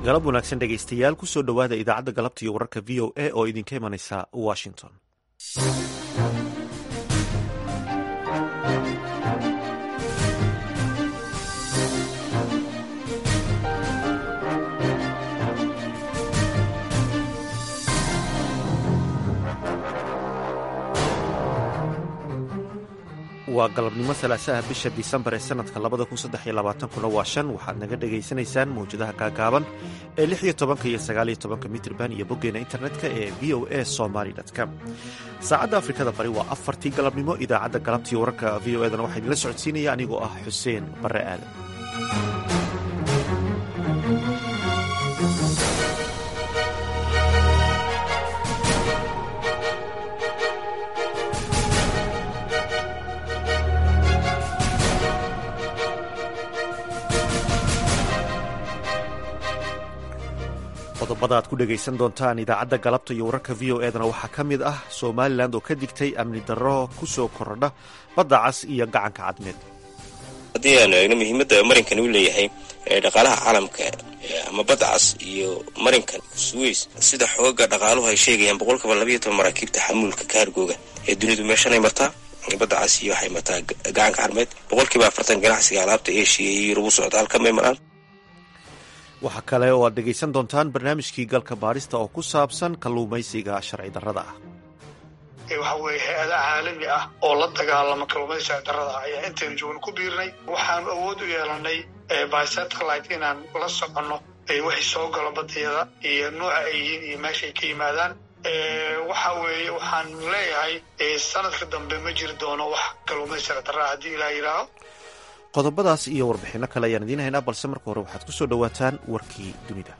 Galab wanaagsan, dhegaystayaal. Kusoo dhowaada idaacadda galabta iyo wararka VOA oo idinka imanaysa Washington. Waa galabnimo Salaasaha, bisha Disembar ee sanadka 2023-kuna waa 5. Waxaad naga dhagaysanaysaan mawjadaha gaagaaban ee 16-ka iyo 19-ka mitirban iyo boggeena internetka ee VOA Somali com. Saacadda Afrikada Bari waa 4-tii galabnimo. Idaacadda galabtiiyo wararka VOA-dana waxaa idinla socodsiinaya anigoo ah Xuseen Barre Aadan. Qodobada aad ku dhegaysan doontaan idaacadda galabta iyo wararka VOA-dana waxaa ka mid ah Somalilan oo ka digtay amni darro ku soo korodha Badda Cas iyo Gacanka Cadmeed. Haddii aanu eegno muhiimadda marinkan uu leeyahay dhaqaalaha caalamka ama Badda Cas iyo marinkan Suweys, sida xooga dhaqaaluhu ay sheegayaan, 12% maraakiibta xamuulka kaargooga ee dunidu meeshanay martaa, Badda Cas iyo waxay martaa Gacanka Carmeed. 40% ganacsiga alaabta Eshiya iyo Yurub u socda halkan bay maraan. Waxaa kale oo aad dhegaysan doontaan barnaamijkii galka baadhista oo ku saabsan kalluumaysiga sharci darrada ah. Waxa weeye hay-ada caalami ah oo la dagaalama kalluumaysiga sharci darrada ah ayaa intaynu joogno ku biirnay. Waxaanu awood u yeelanay by satellite inaan la soconno wixii soo galo badiyada iyo nooca ay yihiin iyo meesha ay ka yimaadaan. Waxa weeye waxaan leeyahay sanadka dambe ma jiri doono wax kalluumaysi sharci darra ah, haddii Ilaah yidhaaho. Qodobadaas iyo warbixinno kale ayaan idiin haynaa, balse marka hore waxaad ku soo dhowaataan warkii dunida.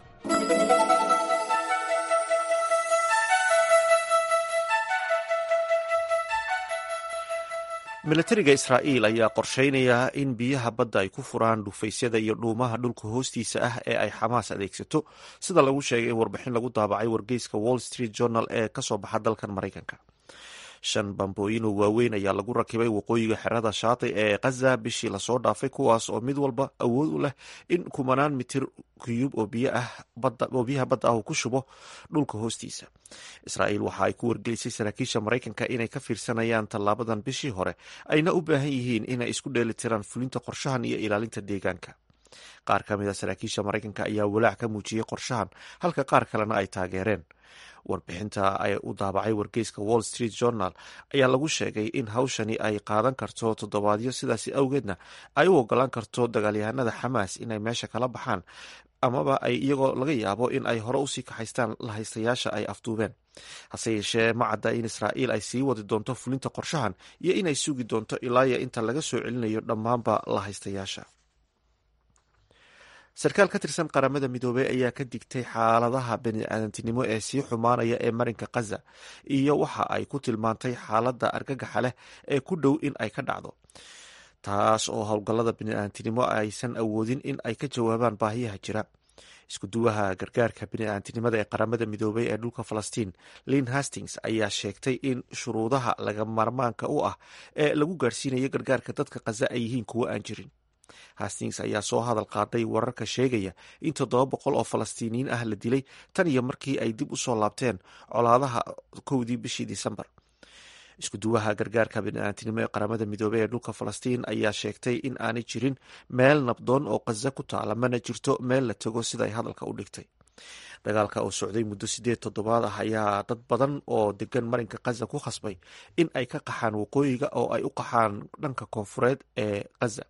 Milatariga Israa'iil ayaa qorsheynaya in biyaha badda ay ku furaan dhufaysyada iyo dhuumaha dhulka hoostiisa ah ee ay Xamaas adeegsato, sida lagu sheegay in warbixin lagu daabacay wargeyska Wall Street Journal ee kasoo baxa dalkan Maraykanka. Shan bambooyin oo waaweyn ayaa lagu rakibay waqooyiga xerada Shaati ee Khaza bishii lasoo dhaafay, kuwaas oo mid walba awood u leh in kumanaan mitir kiyub oo biyaha badda ah uu ku shubo dhulka hoostiisa. Israa'iil waxa ay ku wargelisay saraakiisha Maraykanka inay ka fiirsanayaan tallaabadan bishii hore, ayna u baahan yihiin inay isku dheelitiraan fulinta qorshahan iyo ilaalinta deegaanka. Qaar ka mid a saraakiisha Maraykanka ayaa walaac ka muujiyey qorshahan, halka qaar kalena ay taageereen. Warbixinta ay u daabacay wargeyska Wall Street Journal ayaa lagu sheegay in hawshani ay qaadan karto toddobaadyo, sidaasi awgeedna ay u ogolaan karto dagaalyahanada Xamaas inay meesha kala baxaan, amaba ay iyagoo laga yaabo in ay hore usii kaxaystaan lahaystayaasha ay afduubeen. Hase yeeshee, ma cadda in Israa'iil ay sii wadi doonto fulinta qorshahan iyo inay sugi doonto ilaaya inta laga soo celinayo dhammaanba lahaystayaasha. Sarkaal ka tirsan Qaramada Midoobey ayaa ka digtay xaaladaha bani-aadantinimo ee sii xumaanaya ee marinka Khaza iyo waxa ay ku tilmaantay xaaladda argagaxa leh ee ku dhow in ay ka dhacdo, taas oo howlgallada bani-aadantinimo aysan awoodin in ay ka jawaabaan baahiyaha jira. Iskuduwaha gargaarka bani-aadantinimada ee Qaramada Midoobey ee dhulka Falastiin, Lin Hastings, ayaa sheegtay in shuruudaha laga maarmaanka u ah ee lagu gaarsiinayo gargaarka dadka Khaza ay yihiin kuwo aan jirin. Hastings ayaa soo hadal qaaday wararka sheegaya in 700 oo Falastiiniyiin ah la dilay tan iyo markii ay dib u soo laabteen colaadaha 1-dii bishii Disembar. Iskuduwaha gargaarka bini'aadantinimo ee Qaramada Midoobey ee dhulka Falastiin ayaa sheegtay in aanay jirin meel nabdoon oo Khaza ku taala, mana jirto meel la tago, sida ay hadalka u dhigtay. Dagaalka oo socday muddo 8 toddobaad ah ayaa dad badan oo degan marinka Khaza ku khasbay in ay ka qaxaan waqooyiga oo ay u qaxaan dhanka koonfureed ee Khaza.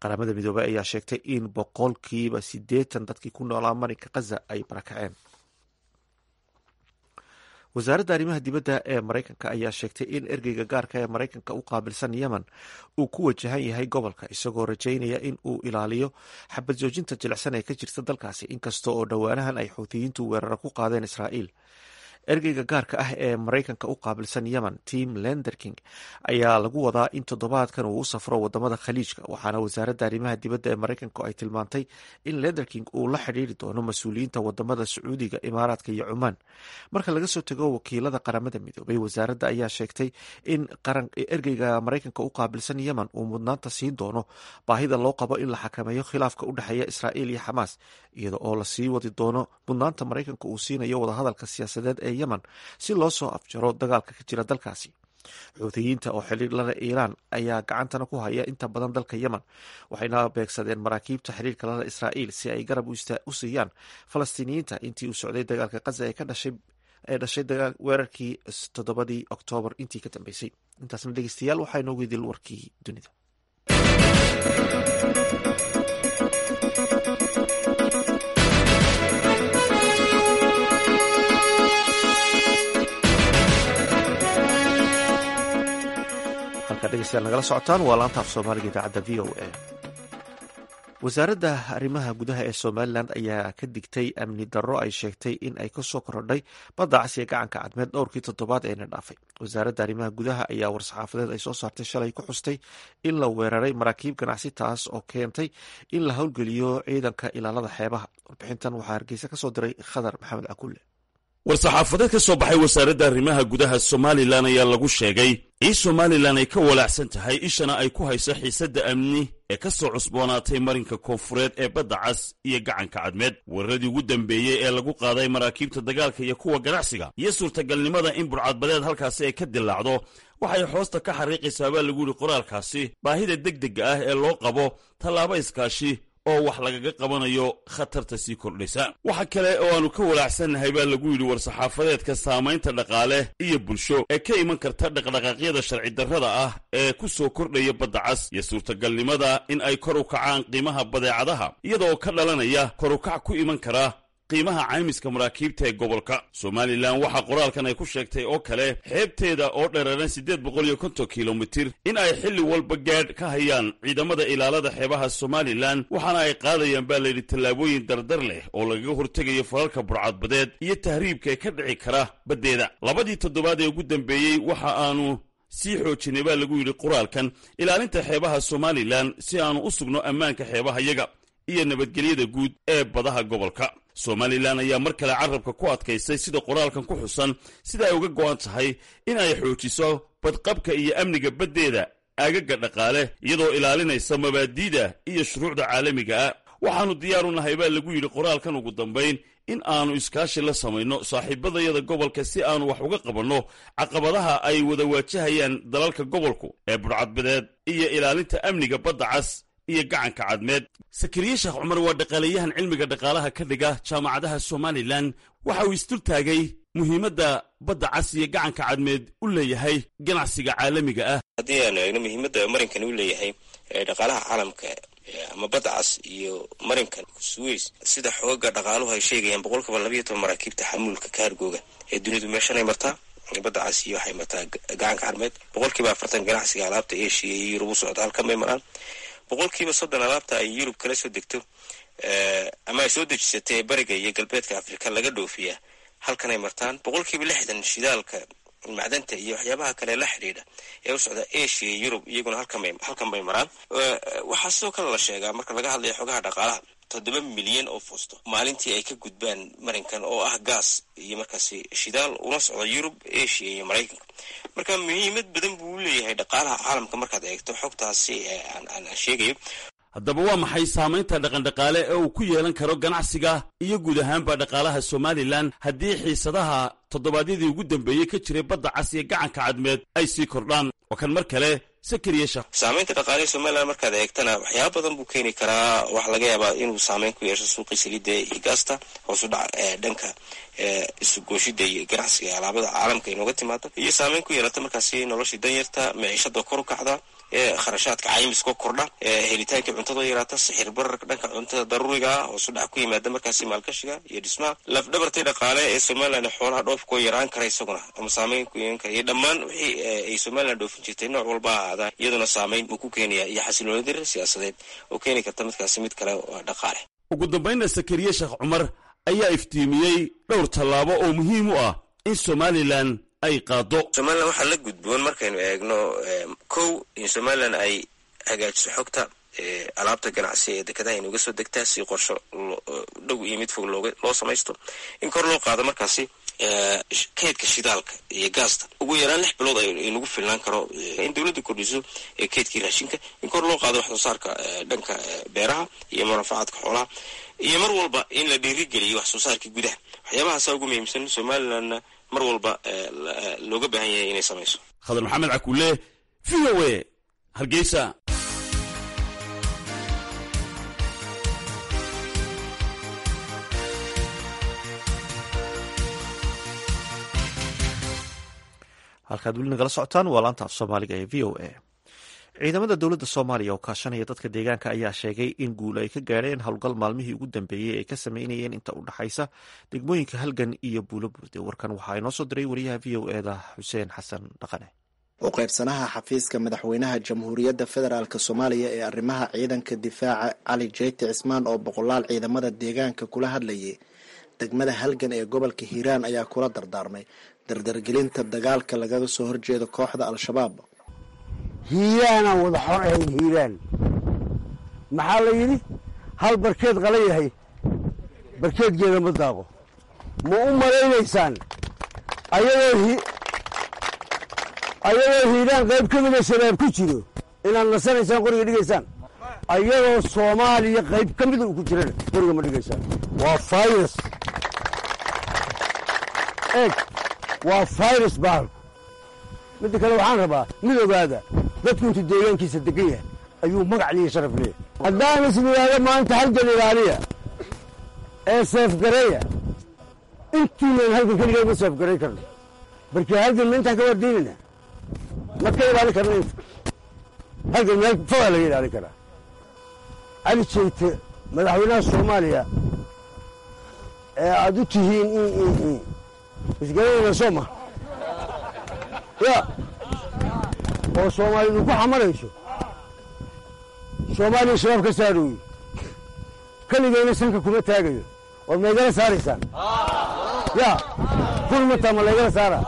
Qaramada Midoobey ayaa sheegtay in 80% dadkii ku noolaa marinka Khaza ay barakaceen. Wasaaradda arrimaha dibadda ee Maraykanka ayaa sheegtay in ergeyga gaarka ee Maraykanka u qaabilsan Yemen uu ku wajahan yahay gobolka, isagoo rajaynaya in uu ilaaliyo xabad joojinta jilicsan ee ka jirta dalkaasi, inkasta oo dhowaanahan ay Xuutiyiintu weeraro ku qaadeen Israa'iil. Ergeyga gaarka ah ee Maraykanka u qaabilsan Yemen, Tim Lenderking, ayaa lagu wadaa in toddobaadkan uu u safro wadamada Khaliijka, waxaana wasaaradda arrimaha dibadda ee Maraykanku ay tilmaantay in Lenderking uu la xidhiiri doono mas-uuliyiinta wadamada Sacuudiga, Imaaraadka iyo Cumaan. Marka laga soo tago wakiilada Qaramada Midoobay, wasaaradda ayaa sheegtay in ergeyga Maraykanka u qaabilsan Yemen uu mudnaanta siin doono baahida loo qabo in la xakameeyo khilaafka u dhexeeya Israa'iil iyo Xamaas, iyada oo la sii wadi doono mudnaanta Maraykanka uu siinayo wadahadalka siyaasadeed ee Yemen si loo soo afjaro dagaalka ka jira dalkaasi. Xuutiyiinta oo xiriir lale Iiraan ayaa gacantana ku haya inta badan dalka Yemen, waxayna beegsadeen maraakiibta xiriirka lale Israa'iil si ay garab u siiyaan Falastiiniyiinta intii uu socday dagaalka Qaza ee ka dhashay ee dhashay dagaal weerarkii 7-dii Oktoobar intii ka dambeysay. Intaasna, dhegeystayaal, waxaa inoogu idil warkii dunida. Halkaa, dhegeystayaal, nagala socotaan waa laanta af Soomaaliga idaacadda VOA. Wasaaradda arrimaha gudaha ee Somalilan ayaa ka digtay amni darro ay sheegtay in ay kasoo korodhay Badda Cas ee Gacanka Cadmeed dhowrkii toddobaad eena dhaafay. Wasaaradda arrimaha gudaha ayaa war-saxaafadeed ay soo saartay shalay ku xustay in la weeraray maraakiib ganacsi, taas oo keentay in la howlgeliyo ciidanka ilaalada xeebaha. Warbixintan waxaa Hargeysa kasoo diray Khadar Maxamed Cakulle. War-saxaafadeed ka soo baxay wasaaradda arrimaha gudaha Somalilan ayaa lagu sheegay in Somalilan ay ka walaacsan tahay, ishana ay ku hayso xiisadda amni ee ka soo cusboonaatay marinka koonfureed ee Badda Cas iyo Gacanka Cadmeed, weeraradii ugu dambeeyey ee lagu qaaday maraakiibta dagaalka iyo kuwa ganacsiga, iyo suurtagalnimada in burcadbadeed halkaasi ay ka dillaacdo. Waxay hoosta ka xariiqaysaa, baa lagu yidhi qoraalkaasi, baahida degdegga ah ee loo qabo tallaabo iskaashi oo wax lagaga qabanayo khatarta sii kordhaysa. Waxa kale oo aanu ka walaacsannahay, baa lagu yidhi war-saxaafadeedka, saamaynta dhaqaale iyo bulsho ee ka iman karta dhaqdhaqaaqyada sharci darrada ah ee ku soo kordhaya Badda Cas, iyo suurtagalnimada in ay kor u kacaan qiimaha badeecadaha, iyadoo ka dhalanaya korukac ku iman kara qiimaha caymiska maraakiibta ee gobolka. Somalilan waxaa qoraalkan ay ku sheegtay oo kale xeebteeda oo dhereeran 850 kilomitir in ay xilli walba gaadh ka hayaan ciidamada ilaalada xeebaha Somalilan, waxaana ay qaadayaan, baa layidhi, tallaabooyin dardar leh oo lagaga hortegayo falalka burcadbadeed iyo tahriibka ee ka dhici kara baddeeda. Labadii toddobaad ee ugu dambeeyey waxa aanu sii xoojinay, baa lagu yidhi qoraalkan, ilaalinta xeebaha Somalilan si aanu u sugno ammaanka xeebahayaga iyo nabadgelyada guud ee badaha gobolka. Somalilan ayaa mar kale carrabka ku adkaysay, sida qoraalkan ku xusan, sida ay uga go'an tahay in ay xoojiso badqabka iyo amniga baddeeda, aagaga dhaqaale, iyadoo ilaalinaysa mabaadiida iyo shuruucda caalamiga ah. Waxaannu diyaar u nahay, baa lagu yidhi qoraalkan ugu dambayn, in aanu iskaashi la samayno saaxiibadayada gobolka si aanu wax uga qabanno caqabadaha ay wada waajahayaan dalalka gobolku ee burcadbadeed iyo ilaalinta amniga Badda Cas iyo Gacanka Cadmeed. Sakariye Sheekh Cumar waa dhaqaalayahan cilmiga dhaqaalaha ka dhiga jaamacadaha Somalilan. Waxa uu isdultaagay muhiimadda Badda Cas iyo Gacanka Cadmeed u leeyahay ganacsiga caalamiga ah. Haddii aanu eegno muhiimadda marinkani u leeyahay dhaqaalaha caalamka ama Badda Cas iyo marinkan Suweys, sida xooga dhaqaaluhu ay sheegayaan, 12% maraakiibta xamuulka kaargooga ee dunidu meeshanay martaa, Badda Cas iyo waxay martaa Gacanka Carmeed. 40% ganacsiga alaabta Asia iyo Yurub u socda halkan bay maraan. 30% alaabta ay Yurub kala soo degto ama ay soo dejisatay ee bariga iyo galbeedka Afrika laga dhoofiyaa halkanay martaan. 60% shidaalka, macdanta iyo waxyaabaha kale la xidhiidha ee u socda Asia iyo Yurub iyaguna halkan bay maraan. Waxaa sidoo kale la sheegaa, marka laga hadlayo xogaha dhaqaalaha, 7 milyan oo fuusto maalintii ay ka gudbaan marinkan oo ah gaas iyo markaasi shidaal una socda Yurub, Asia iyo Maraykanka. Marka muhiimad badan buu leeyahay dhaqaalaha caalamka markaad eegto xogtaasi aan sheegayo. Haddaba waa maxay saamaynta dhaqandhaqaale ee uu ku yeelan karo ganacsiga iyo guud ahaanba dhaqaalaha Somalilan haddii xiisadaha toddobaadyadii ugu dambeeyey ka jiray Badda Cas iyo Gacanka Cadmeed ay sii kordhaan? Waa kan mar kale Sakariye Sheekh. Saamaynta dhaqaalaha Somalilan markaad eegtana, waxyaaba badan buu keeni karaa. Waxaa laga yaabaa inuu saameyn ku yeesho suuqii saliidda iyo gaasta, hoos u dhac dhanka isugooshida iyo ganacsiga alaabada caalamka inooga timaada, iyo saameyn ku yeelata markaasi noloshii danyarta, maciishada kor u kacda, kharashaadka caymiskoo kordha, helitaankii cuntada yaraata, sixir bararka dhanka cuntada daruuriga ah, hoos u dhac ku yimaada markaasi maalgashiga iyo dhismaha. Lafdhabartay dhaqaale ee Somalilan, xoolaha dhoofkoo yaraan kara isaguna ama saameyn ku yeelan kara, iyo dhammaan wixii ay Somalilan dhoofin jirtay nooc walba ha ahaadaan, iyaduna saameyn buu ku keenaya, iyo xasilooni dar siyaasadeed oo keeni karta midkaasi mid kale oo dhaqaale. Ugu dambaynna, Sakariye Sheekh Cumar ayaa iftiimiyey dhowr tallaabo oo muhiim u ah In Somalilan ay qaado. Somalilan waxaa la gudboon, markaynu eegno, kow, in Somalilan ay hagaajiso xogta alaabta ganacsi ee dekadaha inuga soo degtaa, si qorsho dhow iyo mid fog loo samaysto. In kor loo qaado markaasi kaydka shidaalka iyo gaasta, ugu yaraan 6 bilood aynagu filnaan karo. In dowladda kordhiso kaydkii raashinka. In kor loo qaado wax soo saarka dhanka beeraha iyo manfaacadka xoolaha, iyo mar walba in la dhiirigeliyo wax soo saarka gudaha. Waxyaabahaasa ugu muhiimsan Somalilandna mar walba looga baahan yahay inay samayso. Khadar Maxamed Cakuule, VOA, Hargeysa. Halkaad weli nagala socotaan waa laanta af Soomaaliga ee VOA. Ciidamada dowladda Soomaaliya oo kaashanaya dadka deegaanka ayaa sheegay in guul ay ka gaadheen howlgal maalmihii ugu dambeeyey ay ka sameynayeen inta u dhexaysa degmooyinka Halgan iyo Buulo Burde. Warkan waxaa inoo soo diray wariyaha VOA-da, Xuseen Xasan Dhaqane. U qaybsanaha xafiiska madaxweynaha Jamhuuriyadda Federaalk Soomaaliya ee arrimaha ciidanka difaaca, Cali Jeyti Cismaan, oo boqolaal ciidamada deegaanka kula hadlayay degmada Halgan ee gobolka Hiiraan, ayaa kula dardaarmay dardargelinta dagaalka lagaga soo horjeedo kooxda Al-Shabaab. Hiiraanaan wada xor ahayn. Hiiraan maxaa la yidhi? Hal barkeed qala yahay barkeedgeeda ma daaqo. Ma u malaynaysaan ayadoo Hiiraan qayb ka mida Shabaab ku jiro inaad nasanaysaan, qoriga dhigaysaan? Ayadoo Soomaaliya qayb ka mida uu ku jirana qoriga ma dhigaysaan. Waa virus, eeg, waa virus baalku. Midda kale, waxaan rabaa mid ogaada: dadku intuu deegaankiisa degan yahay ayuu magac liya sharaf leeyahay. Haddaan is nidhaahdo maanta Halgan ilaaliya ee seefgareeya, intiinan Halgan keligeed ma seefgaray karno. Barkii Halgan ma intaan ka waardiynayna? Ma ka ilaalin karna inta. Halgan meel fogaa laga ilaalin karaa. Cali Jeyte, madaxweynaha Soomaaliya ee aad u tihiin, isgaranayna soo ma ya, oo Soomaalidu ku xamarayso Soomaaliya Shabaab ka saarooye, keligayna sanka kuma taagayo. Waad ma igala saaraysaan? Ya kun mataa ma laygala saaraa?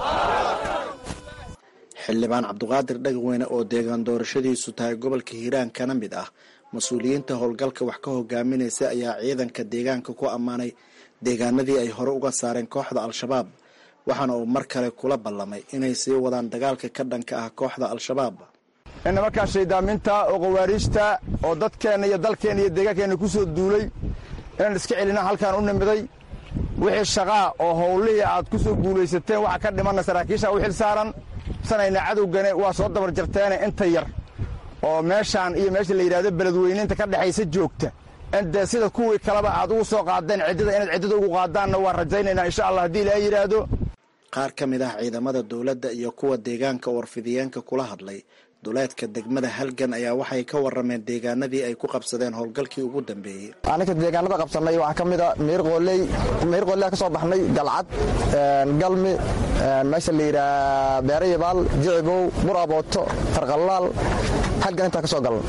Xildhibaan Cabduqaadir Dhagweyne, oo deegaan doorashadiisu tahay gobolka Hiiraan, kana mid ah mas-uuliyiinta howlgalka wax ka hogaaminaysa, ayaa ciidanka deegaanka ku ammaanay deegaanadii ay hore uga saareen kooxda Al-Shabaab, waxaana uu mar kale kula ballamay inay sii wadaan dagaalka ka dhanka ah kooxda Al-Shabaab. In nimankaa shaydaaminta oo khawaariijta oo dadkeenna iyo dalkeenna iyo deegaankeenna ku soo duulay inaan iska celina halkaan u nimiday. Wixii shaqaa oo howlihii aad ku soo guulaysateen waxa ka dhimanna saraakiisha u xil saaran sanayna. Cadowgane waa soo dabar jarteene, inta yar oo meeshaan iyo meesha la yidhahdo Beledweyne inta ka dhexaysa joogta, in dee sida kuwii kaleba aad ugu soo qaadeen ciddada, inaad ciddada ugu qaadaanna waa rajaynaynaa, insha Allah, haddii Ilaahay yidhaahdo. Qaar ka mid ah ciidamada dowladda iyo kuwa deegaanka warfidiyeenka kula hadlay duleedka degmada Halgan ayaa waxay ka warameen deegaanadii ay ku qabsadeen howlgalkii ugu dambeeyey. Aninka deegaanada qabsannay waxaa ka mid a Miirqooley. Miirqooley ka soo baxnay, Galcad, Galmi, meesha la yidhaha Beerayabaal, Jicibow, Burabooto, Farqallaal, Halgan intaa ka soo galan.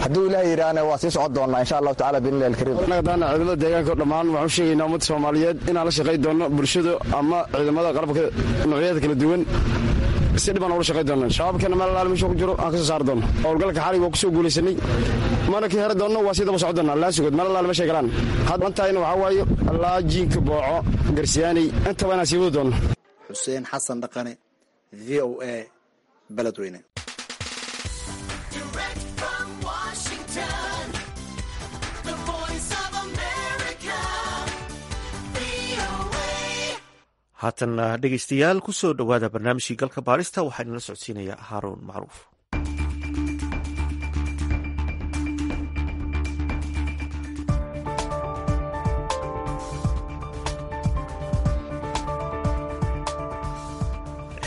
Hadduu Ilaah yidhaahna waa sii socon doonnaa, insha Allahu tacala, biidnillahi alkariim. Annaga daana ciidamada deegaanka dhammaan waxaan u sheegaynaa ummadda Soomaaliyeed inaan la shaqay doonno bulshada ama ciidamada qalabka noocyada kala duwan. Si dhibaan ula shaqay doonaa Shabaabkana. Meel alaal meesha ku jiro aan ka soo saari doonno. Howlgalka xalig waa ku soo guulaysanay, mana ka heri doonno, waa sii daba socon doonaa laasugood meel alaal meeshay galaan. Hadantayna waxaa waaye Laajiinka, Booco, Garsiyaaney, intaba inaan sii wadi doonno. Xuseen Xasan Dhaqane, VOA, Beledweyne. Direct from Washington, the Voice of America, VOA. Haatan dhegeystayaal, ku soo dhowaada barnaamijkii Galka Baarista. Waxaa inala socodsiinaya Haaruun Macruuf.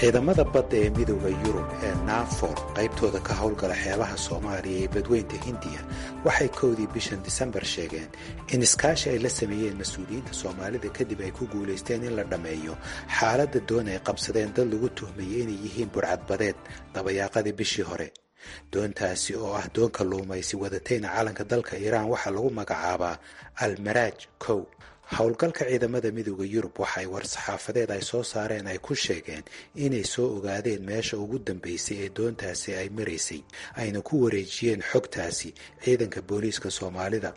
Ciidamada badda ee Midooda Yurub ee NAVFOR, qaybtooda ka howlgala xeebaha Soomaaliya ee Badweynta Hindiya, waxay 1-dii bishan Disembar sheegeen in iskaashi ay la sameeyeen mas-uuliyiinta Soomaalida kadib ay ku guulaysteen in la dhammeeyo xaaladda doon ay qabsadeen dad lagu tuhmayay inay yihiin burcadbadeed dabayaaqadii bishii hore. Doontaasi oo ah doonka luumaysi wadatayna calanka dalka Iiraan waxaa lagu magacaabaa Almaraaj 1. Howlgalka ciidamada Midooda Yurub waxay war-saxaafadeed ay soo saareen ay ku sheegeen inay soo ogaadeen meesha ugu dambeysay ee doontaasi ay maraysay, ayna ku wareejiyeen xogtaasi ciidanka booliiska Soomaalida.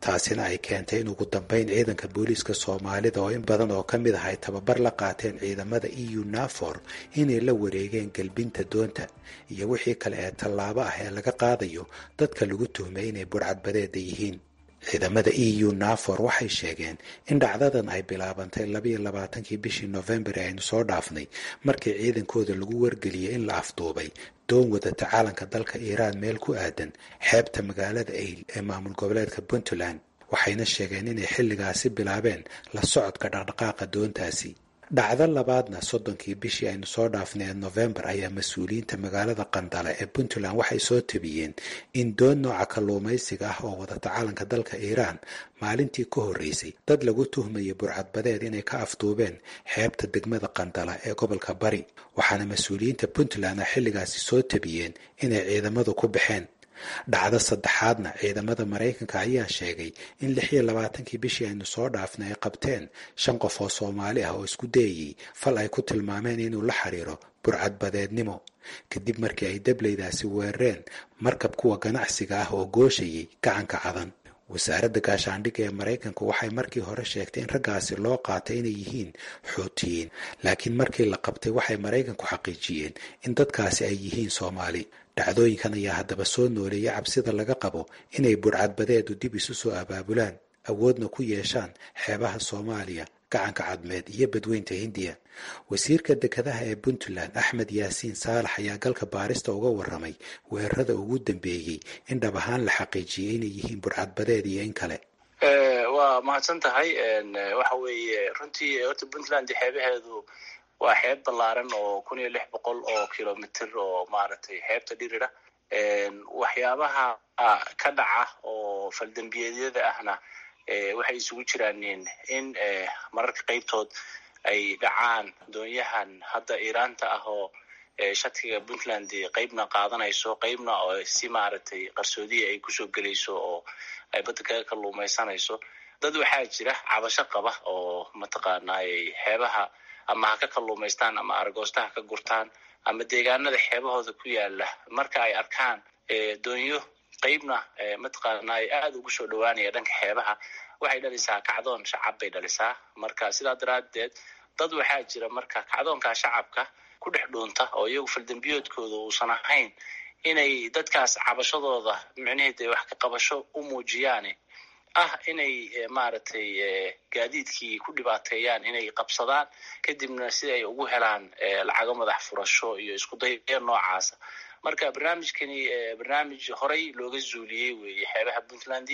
Taasina ay keentay in ugu dambeyn ciidanka booliiska Soomaalida, oo in badan oo ka mid ah ay tababar la qaateen ciidamada EU NAVFOR, inay la wareegeen gelbinta doonta iyo wixii kale ee tallaabo ah ee laga qaadayo dadka lagu tuhmay inay burcadbadeeda yihiin. Ciidamada EU NAVFOR waxay sheegeen in dhacdadan ay bilaabantay 22-kii bishii Novembar ee aynu soo dhaafnay, markii ciidankooda lagu wargeliyey in la afduubay doon wadata caalanka dalka Iiraan meel ku aadan xeebta magaalada Eyl ee maamul goboleedka Puntland. Waxayna sheegeen inay xilligaasi bilaabeen la socodka dhaqdhaqaaqa doontaasi. Dhacdo labaadna 30-kii bishii aynu soo dhaafnay ee Novembar ayaa mas-uuliyiinta magaalada Qandala ee Puntland waxay soo tabiyeen in doon nooca kalluumaysiga ah oo wadata calanka dalka Iiraan maalintii ka horreysay dad lagu tuhmaya burcadbadeed inay ka afduubeen xeebta degmada Qandala ee gobolka Bari. Waxaana mas-uuliyiinta Puntland ay xilligaasi soo tabiyeen inay ciidamadu ku baxeen. Dhacdo saddexaadna ciidamada Maraykanka ayaa sheegay in 26-kii bishii aynu soo dhaafnay ay qabteen shan qof oo Soomaali ah oo isku dayayey fal ay ku tilmaameen inuu la xiriiro burcadbadeednimo, kadib markii ay dableydaasi weerareen markab kuwa ganacsiga ah oo gooshayay gacanka Cadan. Wasaaradda gaashaandhigga ee Maraykanku waxay markii hore sheegtay in raggaasi loo qaatay inay yihiin Xuutiyiin, laakiin markii la qabtay waxay Maraykanku xaqiijiyeen in dadkaasi ay yihiin Soomaali. Dhacdooyinkan ayaa haddaba soo nooleeyay cabsida laga qabo inay burcadbadeedu dib isu soo abaabulaan, awoodna ku yeeshaan xeebaha Soomaaliya, gacanka Cadmeed iyo badweynta Hindiya. Wasiirka dekedaha ee Puntland, Axmed Yaasiin Saalax, ayaa galka baarista uga waramay weerarada ugu dambeeyey in dhab ahaan la xaqiijiyey inay yihiin burcadbadeed iyo in kale. Waa mahadsan tahay. Waxa weeye runtii horta Puntland xeebaheedu waa xeeb ballaaran oo 1600 oo kilomitr oo maaragtay xeebta dhirira. Waxyaabaha ka dhaca oo faldambiyeedyada ahna waxay isugu jiraan in mararka qaybtood ay dhacaan doonyahan hadda Iiraanta ah oo shatiga Puntland qeybna qaadanayso, qeybna oo si maaragtay qarsoodiya ay kusoo gelayso oo ay badda kaga kalluumaysanayso. Dad waxaa jira cabasho qaba oo mataqaanay xeebaha ama ha ka kalluumaystaan ama argoostaha ka gurtaan ama deegaanada xeebahooda ku yaala, marka ay arkaan doonyo qeybna mataqaanay aada ugu soo dhawaanaya dhanka xeebaha, waxay dhalisaa kacdoon shacab bay dhalisaa. Marka sidaa daraaddeed dad waxaa jira marka kacdoonkaa shacabka ku dhex dhuunta oo iyagu faldambiyoodkooda uusan ahayn inay dadkaas cabashadooda micnaheed wax ka qabasho u muujiyaane ah inay maaragtay gaadiidkii ku dhibaateeyaan, inay qabsadaan, kadibna si ay ugu helaan lacago madax furasho iyo isku daya noocaasa. Marka barnaamijkani barnaamij horey looga zuuliyey weeye xeebaha Puntland,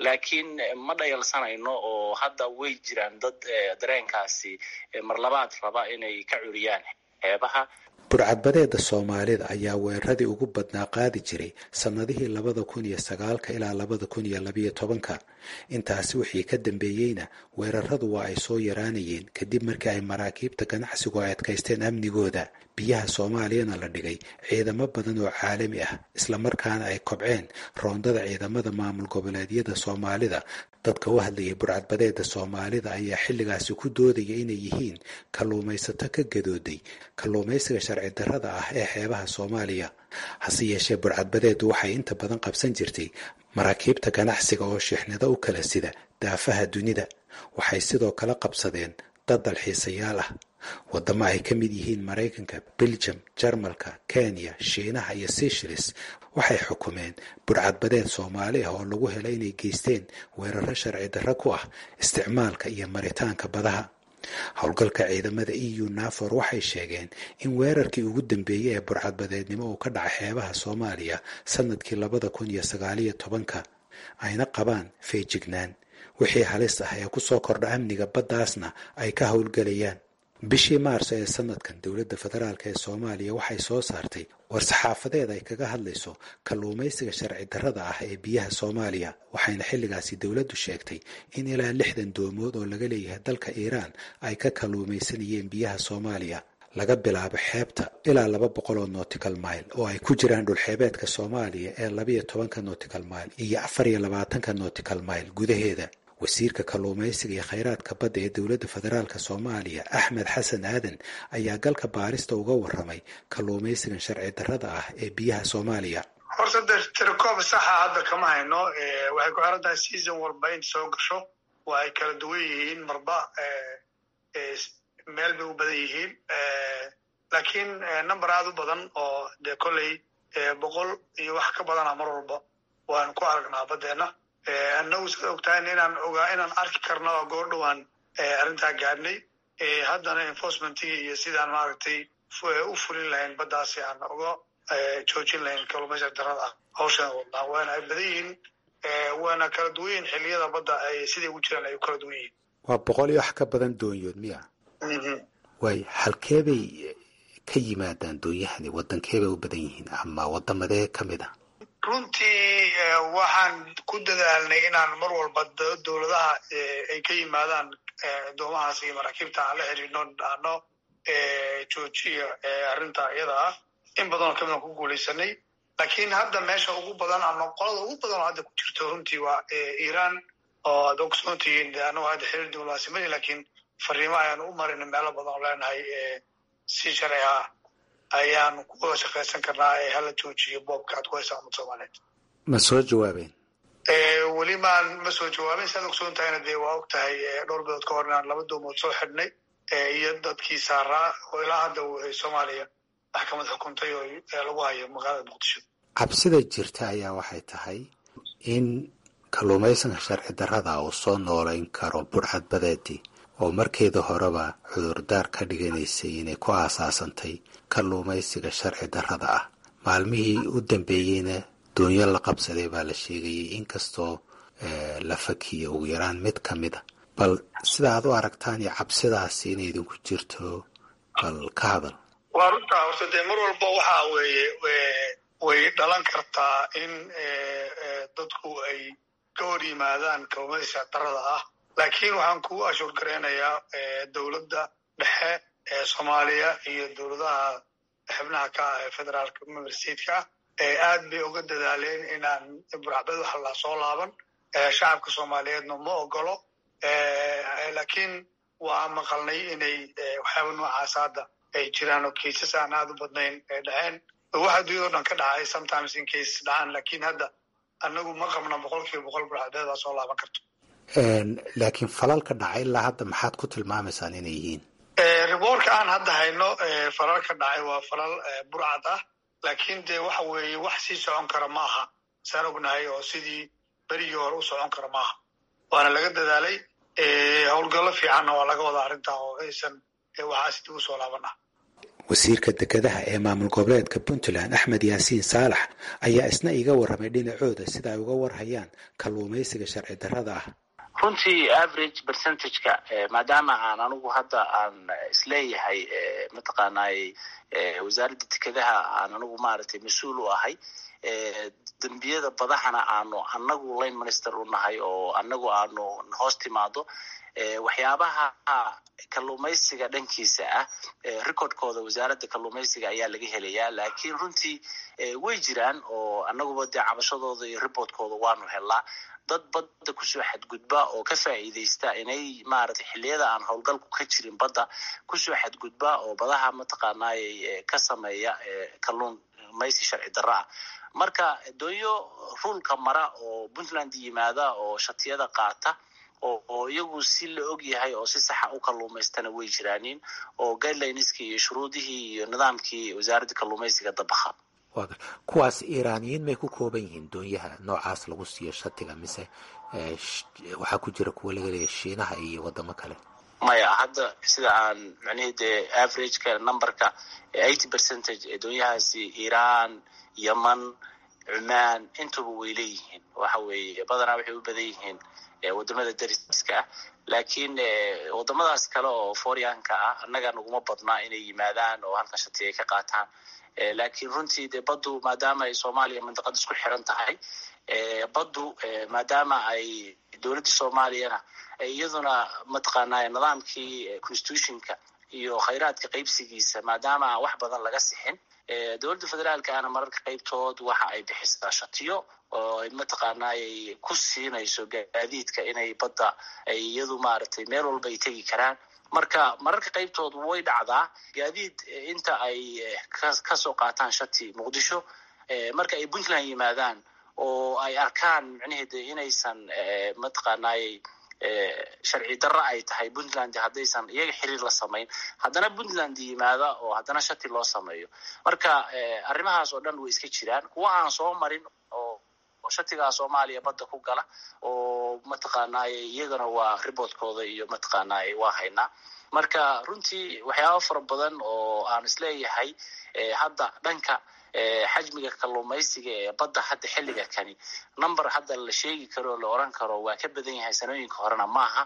laakiin ma dhayalsanayno oo hadda way jiraan dad dareenkaasi mar labaad raba inay ka curiyaan xeebaha. Burcadbadeeda Soomaalida ayaa weeraradii ugu badnaa qaadi jiray sannadihii 2009-ka ilaa 2012-ka. Intaasi wixii ka dambeeyeyna weeraradu waa ay soo yaraanayeen, kadib markii ay maraakiibta ganacsigu ay adkaysteen amnigooda, biyaha Soomaaliyana la dhigay ciidamo badan oo caalami ah, islamarkaana ay kobceen roondada ciidamada maamul goboleedyada Soomaalida. Dadka u hadlayay burcadbadeeda Soomaalida ayaa xilligaasi ku doodaya inay yihiin kalluumaysato ka gadooday kalluumaysiga sharci darrada ah ee xeebaha Soomaaliya. Hase yeeshee burcadbadeedu waxay inta badan qabsan jirtay maraakiibta ganacsiga oo shixnado u kala sida daafaha dunida. Waxay sidoo kale qabsadeen dad dalxiisayaal ah. Waddamo ay ka mid yihiin Maraykanka, Beljam, Jarmalka, Kenya, Shiinaha iyo Seychelles waxay xukumeen burcadbadeed Soomaali ah oo lagu helay inay geysteen weeraro sharci darro ku ah isticmaalka iyo maritaanka badaha. Howlgalka ciidamada EU NAVFOR waxay sheegeen in weerarkii ugu dambeeyey ee burcadbadeednimo uu ka dhacay xeebaha Soomaaliya sanadkii 2019-ka, ayna qabaan feejignaan wixii halis ah ee kusoo kordha amniga baddaasna ay ka howlgelayaan. Bishii Maarso ee sanadkan dowladda federaalk ee Soomaaliya waxay soo saartay war-saxaafadeed ay kaga hadlayso kalluumaysiga sharci darrada ah ee biyaha Soomaaliya, waxayna xilligaasi dowladdu sheegtay in ilaa 60 doomood oo laga leeyahay dalka Iiraan ay ka kalluumaysanayeen biyaha Soomaaliya laga bilaabo xeebta ilaa 200 oo nautical mile, oo ay ku jiraan dhulxeebeedka Soomaaliya ee 12-ka nautical mile iyo 24-ka nautical mile gudaheeda. Wasiirka kalluumaysiga iyo khayraadka badda ee dowladda federaalka Soomaaliya, Axmed Xasan Aadan, ayaa galka baarista uga waramay kalluumaysigan sharci darrada ah ee biyaha Soomaaliya. Horta de tirakoob saxa hadda kama hayno. Waxay ku xiran tahay season walba inta soo gasho, waa ay kala duwan yihiin, marba meel bay u badan yihiin, laakiin number aada u badan oo dee kolley 100 iyo wax ka badana mar walba waan ku aragnaa baddeena. Annagu siad ogtahay inaan ogaa inaan arki karno goor dhowaan arrintaa gaadhnay. Haddana enforcementigii iyo sidaan maaragtay u fulin lahayn baddaasi aan uga joojin lahayn kalluumaysiga darrada ah hawshan wadnaa, waana ay badan yihiin, waana kala duwan yihiin. Xilliyada badda ay siday ugu jiraan ay u kala duwan yihiin. Waa 100 iyo wax ka badan doonyood miya? Waay, halkee bay ka yimaadaan doonyahani? Waddankee bay u badan yihiin ama wadamadee ka mid a? Runtii waxaan ku dadaalnay inaan mar walba dowladaha ay ka yimaadaan doomahaas iyo maraakiibta aan la xiriirno, dhahno joojiya arrinta iyada ah. In badanoo kamid aan ku guulaysanay, laakiin hadda meesha ugu badan ama qolada ugu badan oo hadda ku jirto runtii waa Iran, oo aad ogsoontihiin annagu hadda xiriir diblomaasi mali, laakiin fariimo ayaan u marinay meelo badan oo leenahay si sharci ah ayaan ku wada shaqaysan karnaa ee hala joojiyo boobka aad ku haysaa umad Soomaaliyeed. Ma soo jawaabeen? Weli maan ma soo jawaabin. Saad ogsoon tahayna dee waa og tahay dhowr bilood ka hor inaan laba doomood soo xidhnay iyo dadkii saaraa, oo ilaa hadda Soomaaliya maxkamad xukuntay oo lagu hayo magaalada Muqdisho. Cabsida jirta ayaa waxay tahay in kalluumaysanka sharci darrada uu soo noolayn karo budhcad badeedii oo markeeda horeba cudurdaar ka dhiganaysay inay ku aasaasantay kalluumaysiga sharci darrada ah. Maalmihii u dambeeyeyna doonyo la qabsaday baa la sheegayay, inkastoo la fakiyo ugu yaraan mid ka mid a. Bal sida aad u aragtaan iyo cabsidaasi inay idinku jirto, bal ka hadal. Waa runtaa. Horta dee mar walba waxa weeye way dhalan kartaa in dadku ay ka hor yimaadaan kalluumaysiga darrada ah, laakiin waxaan ku assure garaynayaa dowladda dhexe ee Soomaaliya iyo dowladaha xubnaha ka ah ee federaalka member stateka aad bay uga dadaaleen inaan burcadbadeed wax la soo laaban. Shacabka Soomaaliyeedna ma ogolo, laakiin waa maqalnay inay waxyaaba noocaas hadda ay jiraan oo cases aan aada u badnayn ay dhaceen. Waxa adduunyado dhan ka dhacay sometimes in cases dhacaan, laakiin hadda annagu ma qabna 100% burcadbadeed baa soo laaban karto. Laakiin falalka dhacay ilaa hadda maxaad ku tilmaamaysaan inay yihiin? Reportka aan hadda hayno, falalka dhacay waa falal burcad ah, laakiin dee waxa weeye wax sii socon kara ma aha saan ognahay, oo sidii berigii hore u socon kara maaha. Waana laga dadaalay, howlgallo fiicanna waa laga wada arrintaa oo aysan waxaas dib u soo laaban ah. Wasiirka dekedaha ee maamul goboleedka Puntland, Axmed Yaasiin Saalax, ayaa isna iiga warramay dhinacooda sida ay uga warhayaan kalluumaysiga sharci darrada ah. Runtii average percentageka, maadaama aan anigu hadda aan isleeyahay mataqaanay wasaaradda dekedaha aan anigu maaragtay mas-uul u ahay, dembiyada badahana aanu anagu line minister u nahay oo anagu aanu hoos timaado, waxyaabaha kalluumaysiga dhankiisa ah recordkooda wasaaradda kalluumaysiga ayaa laga helayaa. Laakiin runtii way jiraan oo anaguba dee cabashadooda iyo reportkooda waanu helnaa, dad badda kusoo xadgudba oo ka faa'iidaysta inay maaragtay xilliyada aan howlgalku ka jirin badda kusoo xadgudba oo badaha mataqaanay ka sameeya kalluumaysi sharci darro ah. Marka doonyo ruleka mara oo Puntland yimaada oo shatiyada qaata oo iyagu si la og yahay oo si saxa u kalluumaystana way jiraanin, oo guidelineski iyo shuruudihii iyo nidaamkii wasaaradda kalluumaysiga dabaqa. Kuwaas Iiraaniyiin may ku kooban yihiin doonyaha noocaas lagu siiyo shatiga, mise waxaa ku jira kuwa laga leeya Shiinaha iyo wadamo kale? Maya, hadda sida aan macnihii dee averageka numberka 80 percentage ee doonyahaasi Iiraan, Yemen, Cumaan intuba way leeyihiin. Waxa weeye badanaa waxay u badan yihiin wadamada dariska ah, laakiin wadamadaas kale oo foreign-ka ah annaga naguma badnaa inay yimaadaan oo halkan shati ay ka qaataan. Laakiin runtii dee baddu maadaama ay Soomaaliya mandaqad isku xiran tahay, baddu maadaama ay dowladda Soomaaliyana iyaduna mataqaanaa nidaamkii constitutionka iyo khayraadka qaybsigiisa maadaama aan wax badan laga sixin. Dowladda federaalka ahna mararka qaybtood waxa ay bixisaa shatiyo oo ay mataqaanaa ay ku siinayso gaadiidka inay badda ay iyadu maaragtay meel walba ay tegi karaan. Marka mararka qaybtood way dhacdaa gaadiid inta ay kasoo qaataan shati Muqdisho, marka ay Puntland yimaadaan oo ay arkaan micnaheeda inaysan mataqaanaay sharci darro ay tahay Puntland haddaysan iyaga xiriir la samayn, haddana Puntland yimaada oo haddana shati loo sameeyo. Marka arrimahaas oo dhan way iska jiraan, kuwa aan soo marin oo shatigaa Soomaaliya badda ku gala oo mataqaanaay iyagana waa riboodkooda iyo mataqaanaay waa haynaa. Marka runtii waxyaaba fara badan oo aan isleeyahay hadda dhanka xajmiga kalluumaysiga ee badda hadda xilliga kani number hadda la sheegi karo oo la oran karo waa ka badan yahay sanooyinka horena maaha,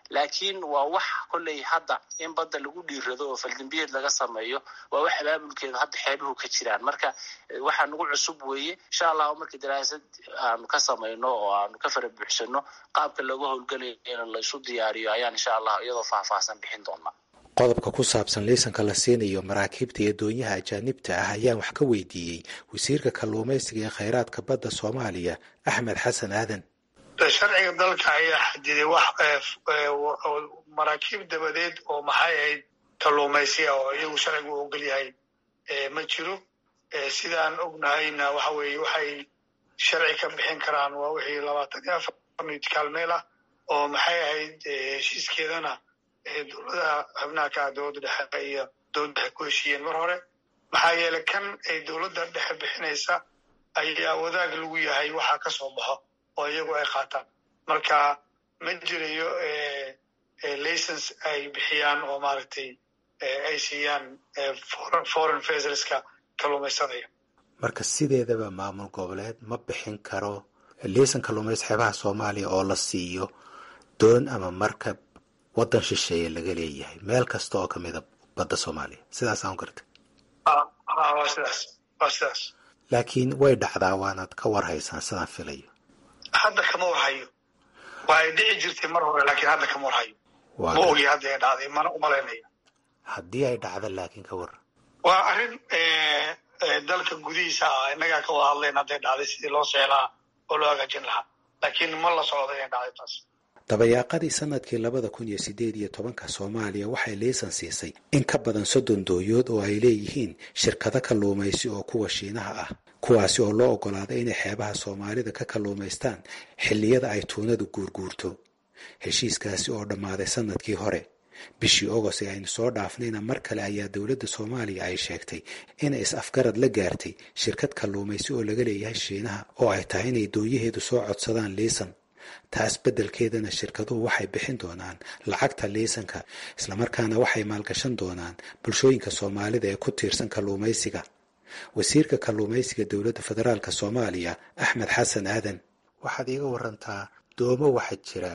laakiin waa wax kolley hadda in badda lagu dhiirado oo faldambiyeed laga sameeyo waa wax abaabulkeedu hadda xeebuhu ka jiraan. Marka waxaa nagu cusub weeye, insha Allahu markii daraasad aanu ka samayno oo aanu ka fara buuxsano qaabka looga howlgalayo in laysu diyaariyo ayaan insha Allah iyadoo faahfaahsan bixin doonaa. Qodobka ku saabsan liisanka la siinayo maraakiibta iyo doonyaha ajaanibta ah ayaan wax ka weydiiyey wasiirka kalluumaysiga ee kheyraadka badda Soomaaliya, Axmed Xasan Aadan. Sharciga dalka ayaa xadiday wax maraakiib dabadeed oo maxay ahayd kalluumaysiga oo iyagu sharcigu u ogol yahay ma jiro. Sidaan ognahayna waxa weeye waxay sharci ka bixin karaan waa wixii 24 nautical meel ah oo maxay ahayd heshiiskeedana dowladaha xubnaha ka ah dowladda dhexe iyo dowladda dhexe ku heshiiyeen mar hore. Maxaa yeelay kan ay dowladda dhexe bixinaysa ayaa wadaag lagu yahay waxa ka soo baxo oo iyagu ay qaataan. Marka ma jirayo license ay bixiyaan oo maaragtay ay siiyaan foreign vesselska kalluumaysanaya. Marka sideedaba maamul goboleed ma bixin karo liisan kalluumaysi xeebaha Soomaaliya oo la siiyo doon ama markab waddan shisheeye laga leeyahay meel kasta oo kamida badda Soomaaliya, sidaasaan u gartay. Waa sidaas, waa sidaas. Laakiin way dhacdaa, waanaad ka warhaysaan sidaan filayo. Hadda kama warhayo, waxay dhici jirtay mar hore, laakiin hadda kama warhayo. Ma ogi hadda ay dhacday, mana umalaynaya. Haddii ay dhacda laakiin ka war Waa arrin dalka gudihiisa ah, innagaa ka wada hadlayn hadday dhacday sidii loo seelaa oo loo hagaajin lahaa, laakiin ma la socdo inay dhacday taas. Dabayaaqadii sanadkii 2018-ka Soomaaliya waxay liisan siisay in ka badan 30 dooyood oo ay leeyihiin shirkado kalluumaysi oo kuwa Shiinaha ah, kuwaasi oo loo oggolaaday inay xeebaha Soomaalida ka kalluumaystaan xilliyada ay tuunadu guurguurto. Heshiiskaasi oo dhammaaday sanadkii hore bishii Ogost ee aynu soo dhaafnayna, mar kale ayaa dowladda Soomaaliya ay sheegtay inay is-afgarad la gaartay shirkad kalluumaysi oo laga leeyahay Shiinaha oo ay tahay inay doonyaheedu soo codsadaan liisan, taas beddelkeedana shirkaduhu waxay bixin doonaan lacagta liisanka, islamarkaana waxay maalgashan doonaan bulshooyinka Soomaalida ee ku tiirsan kalluumaysiga. Wasiirka kalluumaysiga dowladda federaalk Soomaaliya, Axmed Xasan Aadan, waxaad iiga warantaa doomo waxaa jira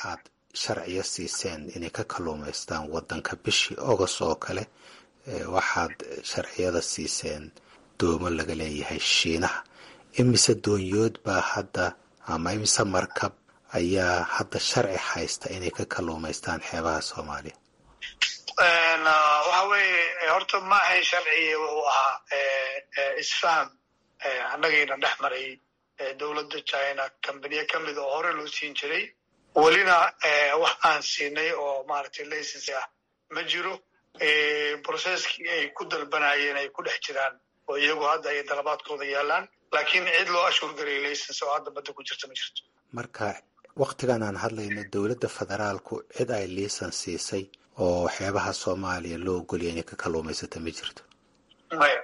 aad sharciyo siiseen inay ka kalluumaystaan wadanka bishii Ogost oo kale, waxaad sharciyada siiseen doomo laga leeyahay Shiinaha. Imise doonyood baa hadda ama imise markab ayaa hadda sharci haysta inay ka kalluumaystaan xeebaha Soomaaliya? Waxa weeye horta ma ahayn sharci, wuxuu ahaa isfaham annagayna dhex maray dowladda China, kambaniye ka mid oo hore loo siin jiray. Welina wax aan siinay oo maaragtay license ah ma jiro. Processkii ay ku dalbanayeen ay ku dhex jiraan oo iyagu hadda ay dalabaadkooda yaalaan, laakiin cid loo ashuur garayay license oo hadda badda ku jirta ma jirto. Marka waktigan aan hadlayno dowladda federaalku cid ay liisan siisay oo xeebaha Soomaaliya loo ogolya inay ka kalluumaysata ma jirto? Maya.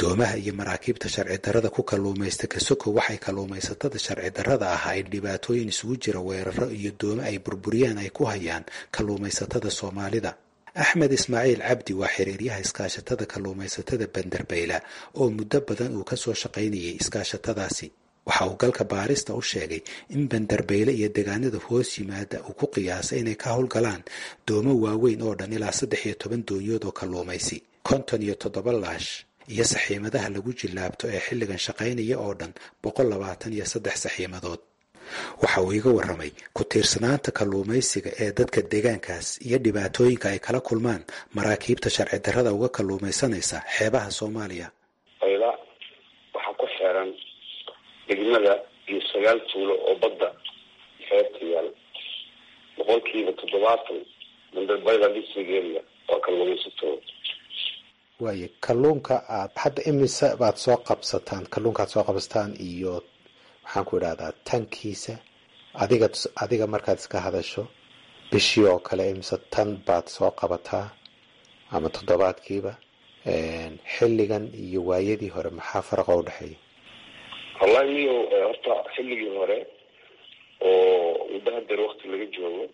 Doomaha iyo maraakiibta sharci darrada ku kalluumaysta kasoko, waxay kalluumaysatada sharci darrada ah ay dhibaatooyin isugu jira weeraro iyo doomo ay burburiyaan ay ku hayaan kalluumaysatada Soomaalida. Axmed Ismaaciil Cabdi waa xiriiryaha iskaashatada kalluumaysatada Banderbeyla oo muddo badan uu kasoo shaqaynayay iskaashatadaasi. Waxa uu galka baarista u sheegay in Banderbeyle iyo deegaanada hoos yimaada uu ku qiyaasay inay ka howlgalaan doomo waaweyn oo dhan ilaa 13 doonyood oo kalluumaysi, 57 laash iyo saxiimadaha lagu jillaabto ee xilligan shaqaynaya oo dhan 123 saxiimadood. Waxa uu iga warramay ku tiirsanaanta kalluumaysiga ee dadka deegaankaas iyo dhibaatooyinka ay kala kulmaan maraakiibta sharci darrada uga kalluumaysanaysa xeebaha Soomaaliya. Bayla waxaa ku xeeran degmada iyo 9 tuulo oo badda xeebta yaal. 70% Bayla district area waa kalluumaysatooda. Waaye, kalluunka aad hadda imise baad soo qabsataan, kalluunka aad soo qabsataan iyo waxaan ku idhahdaa tankiisa, adiga markaad iska hadasho, bishii oo kale imise tan baad soo qabataa ama toddobaadkiiba? Xilligan iyo waayadii hore maxaa faraqa udhexeeya? Wallahi niyo, horta xilligii hore oo muddo hadeer wakti laga joogo,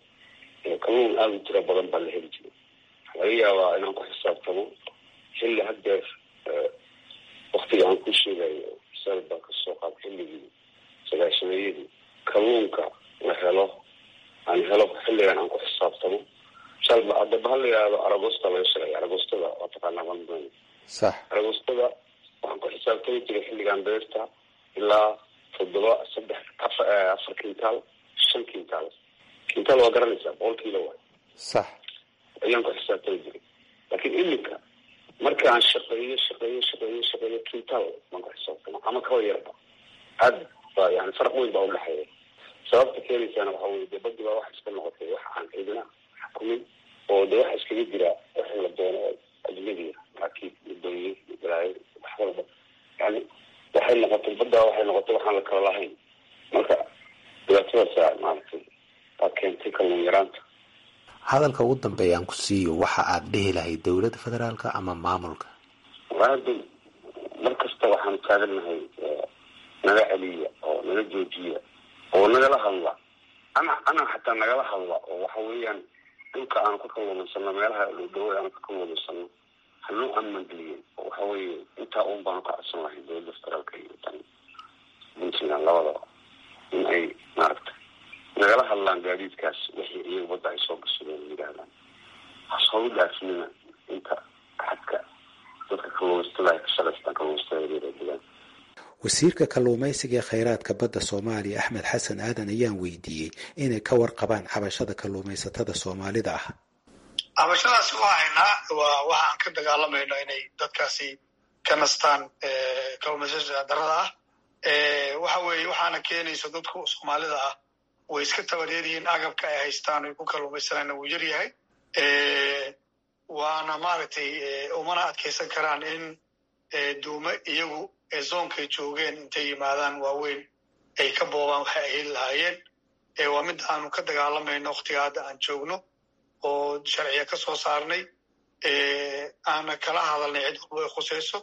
kalluun aada u tiro badan baa la heli jiray. Waxaa laga yaabaa inaan ku xisaabtamo xilli hadeer waktiga aan ku sheegayo, misaal baa kasoo qaad xilligii sagaashameeyadii kalluunka la helo, aan helo xilligan aan ku xisaabtamo, misaal ba hadda bahal la yihahdo aragosta laga sheegay. Aragostada waa taqaanaa bandan? Sax. Aragostada waxaan ku xisaabtami jiray xilligan beerta ilaa 7, 3, 4 kintaal, 5 kintaal. Kintaal waa garanaysaa, 100 kiilo waay. Ayaan ku xisaabtami jiray. Laakiin iminka marka aan shaqeeyo, shaqeeyo, shaqeeyo, shaqeeyo, kintaal baan ku xisaabtama ama kaba yarba. Aad ba yani faraq weyn baa udhexeeya. Sababta keenaysaana waxa weye, dee badi baa waxa iska noqotay wax aan ciidina xukumin, oo dee waxa iskaga jira wax la doono oo ajnabiya, maraakiib iyo doonyo iyo balaayo, wax walba. Yani waxay noqotay baddaa, waxay noqotay waxaan la kala lahayn. Marka dhibaatadaasa maaragtay baa keentay kalluun yaraanta. Hadalka ugu dambeeya aan ku siiyo, waxa aad dhihi lahayd dowladda federaalka ama maamulka? Wallahi hadda mar kasta waxaanu taagannahay naga celiya oo naga joojiya oo nagala hadla, ana xataa nagala hadla, oo waxa weeyaan dhulka aanu ka kalluumaysano, meelaha dhow aanu ka kalluumaysano hanoo aman geliyeen. Oo waxa weeye intaa uun baanu ka codsan lahay dowladda federaalka iyo tan Puntland labadaba in ay maaragtay nagala hadlaan gaadiidkaas wixii iyaga badda ay soo gashadeen, yidhaahdaan hasoo dhaafinina inta xadka dadka kalluumaysatada ay ka shaqaystaan, kalluumaysatada yaryar ee deegaanka. Wasiirka kalluumaysiga ee kheyraadka badda Soomaaliya, Axmed Xasan Aadan, ayaan weydiiyey inay ka warqabaan cabashada kalluumaysatada Soomaalida ah. Cabashadaasi waa haynaa. Waa waxa aan ka dagaalamayno, inay dadkaasi ka nastaan kalluumaysatada darada ah. Waxa weeye waxaana keenaysa dadku Soomaalida ah way iska tabareeryihiin, agabka ay haystaan ay ku kalluumaysanayna wuu yar yahay, waana maaragtay umana adkaysan karaan in duume iyagu zoonkay joogeen intay yimaadaan waaweyn ay ka boobaan waxay ay heli lahaayeen. Waa mid aanu ka dagaalamayno waktiga hadda aan joogno, oo sharciya ka soo saarnay, aana kala hadalnay cid walba ay khusayso,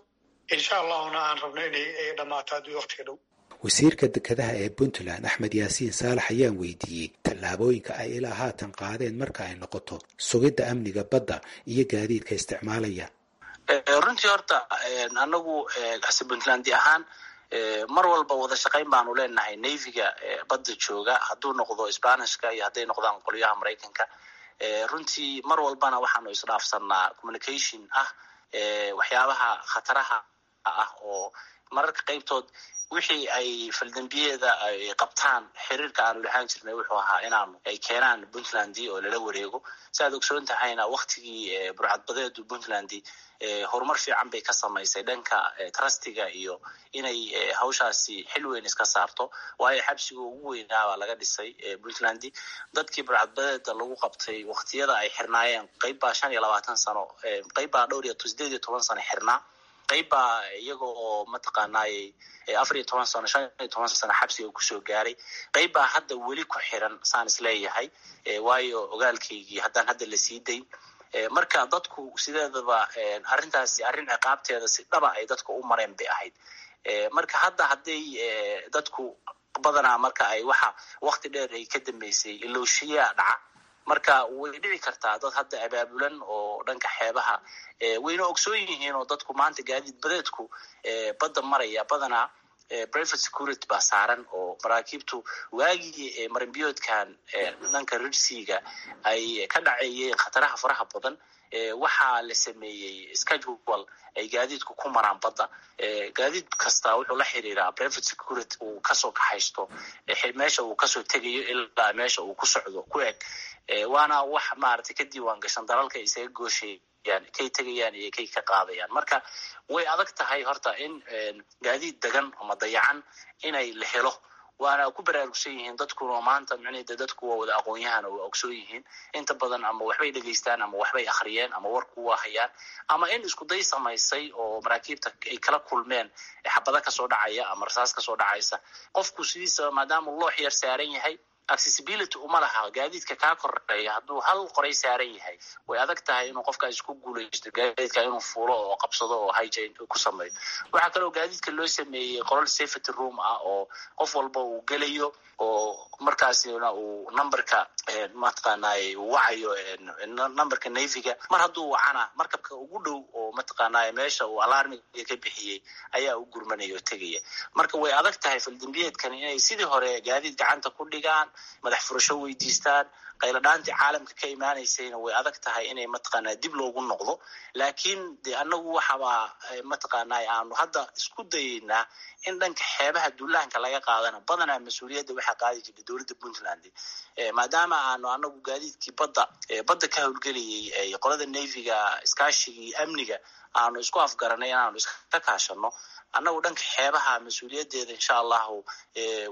insha Allahuna aan rabno inay dhammaato haddii waktiga dhow. Wasiirka dekedaha ee Puntland, Axmed Yaasiin Saalax, ayaan weydiiyey tallaabooyinka ay ilaa haatan qaadeen marka ay noqoto sugidda amniga badda iyo gaadiidka isticmaalaya. Runtii horta anagu ase Puntlandi ahaan mar walba wada shaqayn baanu leenahay navyga badda jooga, hadduu noqdo Spanishka iyo hadday noqdaan qolyaha Maraykanka. Runtii mar walbana waxaanu isdhaafsanaa communication ah, waxyaabaha khataraha ah oo mararka qaybtood wixii ay faldambiyeeda ay qabtaan. Xiriirka aanu lahaan jirnay wuxuu ahaa inaanu ay keenaan Puntlandi oo lala wareego. Si aad ogsoon tahayna, waktigii burcadbadeedu Puntlandi horumar fiican bay ka samaysay dhanka trustiga iyo inay hawshaasi xil weyn iska saarto, waayo xabsiga ugu weynaa baa laga dhisay Puntlandi. Dadkii burcadbadeeda lagu qabtay waktiyada ay xirnaayeen, qayb baa 25 sano, qayb baa dhowr iyo 18 sano xirnaa, qayb baa iyaga oo mataqaanaayey 14 sano, 15 sano xabsiga kusoo gaaray, qayb baa hadda weli ku xiran saan isleeyahay, waayo ogaalkaygii haddaan hadda la sii dayn. Marka dadku sideedaba arrintaasi arrin ciqaabteeda si dhaba ay dadka u mareen bay ahayd. Marka hadda hadday dadku badanaa marka ay waxa wakti dheer ay ka dambeysay ilooshiyaa dhaca, marka way dhici kartaa dad hadda abaabulan oo dhanka xeebaha wayna ogsoon yihiin, oo dadku maanta gaadiid badeedku badda maraya badanaa Private security baa saaran oo maraakiibtu waagii marinbiyoodkan dhanka Red Sea-ga ay ka dhaceeyeen khataraha faraha badan, waxaa la sameeyey schedule ay gaadiidku ku maraan badda. Gaadiid kasta wuxuu la xiriiraa private security uu kasoo kaxaysto meesha uu kasoo tegayo ilaa meesha uu ku socdo ku eg, waana wax maaragtay ka diiwaan gashan dalalka isaga gooshayaan, kay tegayaan iyo kay ka qaadayaan. Marka way adag tahay horta in gaadiid degan ama dayacan inay la helo, waana ku baraarugsan yihiin dadkuna maanta. Micnihii dadku waa wada aqoon-yahan oo waa ogsoon yihiin inta badan, ama waxbay dhegaystaan ama waxbay akhriyeen ama warku waa hayaan, ama in isku day samaysay oo maraakiibta ay kala kulmeen xabado kasoo dhacaya ama rasaas kasoo dhacaysa. Qofku sidiisaba maadaama loox yar saaran yahay, accessibility uma laha gaadiidka kaa koreeya. Hadduu hal qoray saaran yahay, way adag tahay inuu qofkaas ku guulaysto gaadiidka inuu fuulo oo qabsado oo hijack ku sameeyo. Waxaa kaloo gaadiidka loo sameeyey qolal safety room ah oo qof walba uu gelayo oo markaasina uu numberka mataqaanay uu wacayo, numberka navyga. Mar hadduu wacana, markabka ugu dhow oo mataqaanay meesha uu alarmiga ka bixiyey ayaa u gurmanaya oo tegaya. Marka way adag tahay faldambiyeedkan inay sidii hore gaadiid gacanta ku dhigaan, madax furasho weydiistaan. Qayladhaantii caalamka ka imaanaysayna way adag tahay inay mataqaanaa dib loogu noqdo. Laakiin de anagu waxabaa mataqaanaa aanu hadda isku dayeynaa in dhanka xeebaha duulaanka laga qaadana badanaa mas-uuliyadda waxaa qaadi jirtay dowladda Puntland, maadaama aanu anagu gaadiidkii badda ka howlgelayay qolada navyga iskaashigii amniga aanu isku afgaranay inaanu iska kaashano. Annagu dhanka xeebaha mas-uuliyaddeeda, insha Allahu,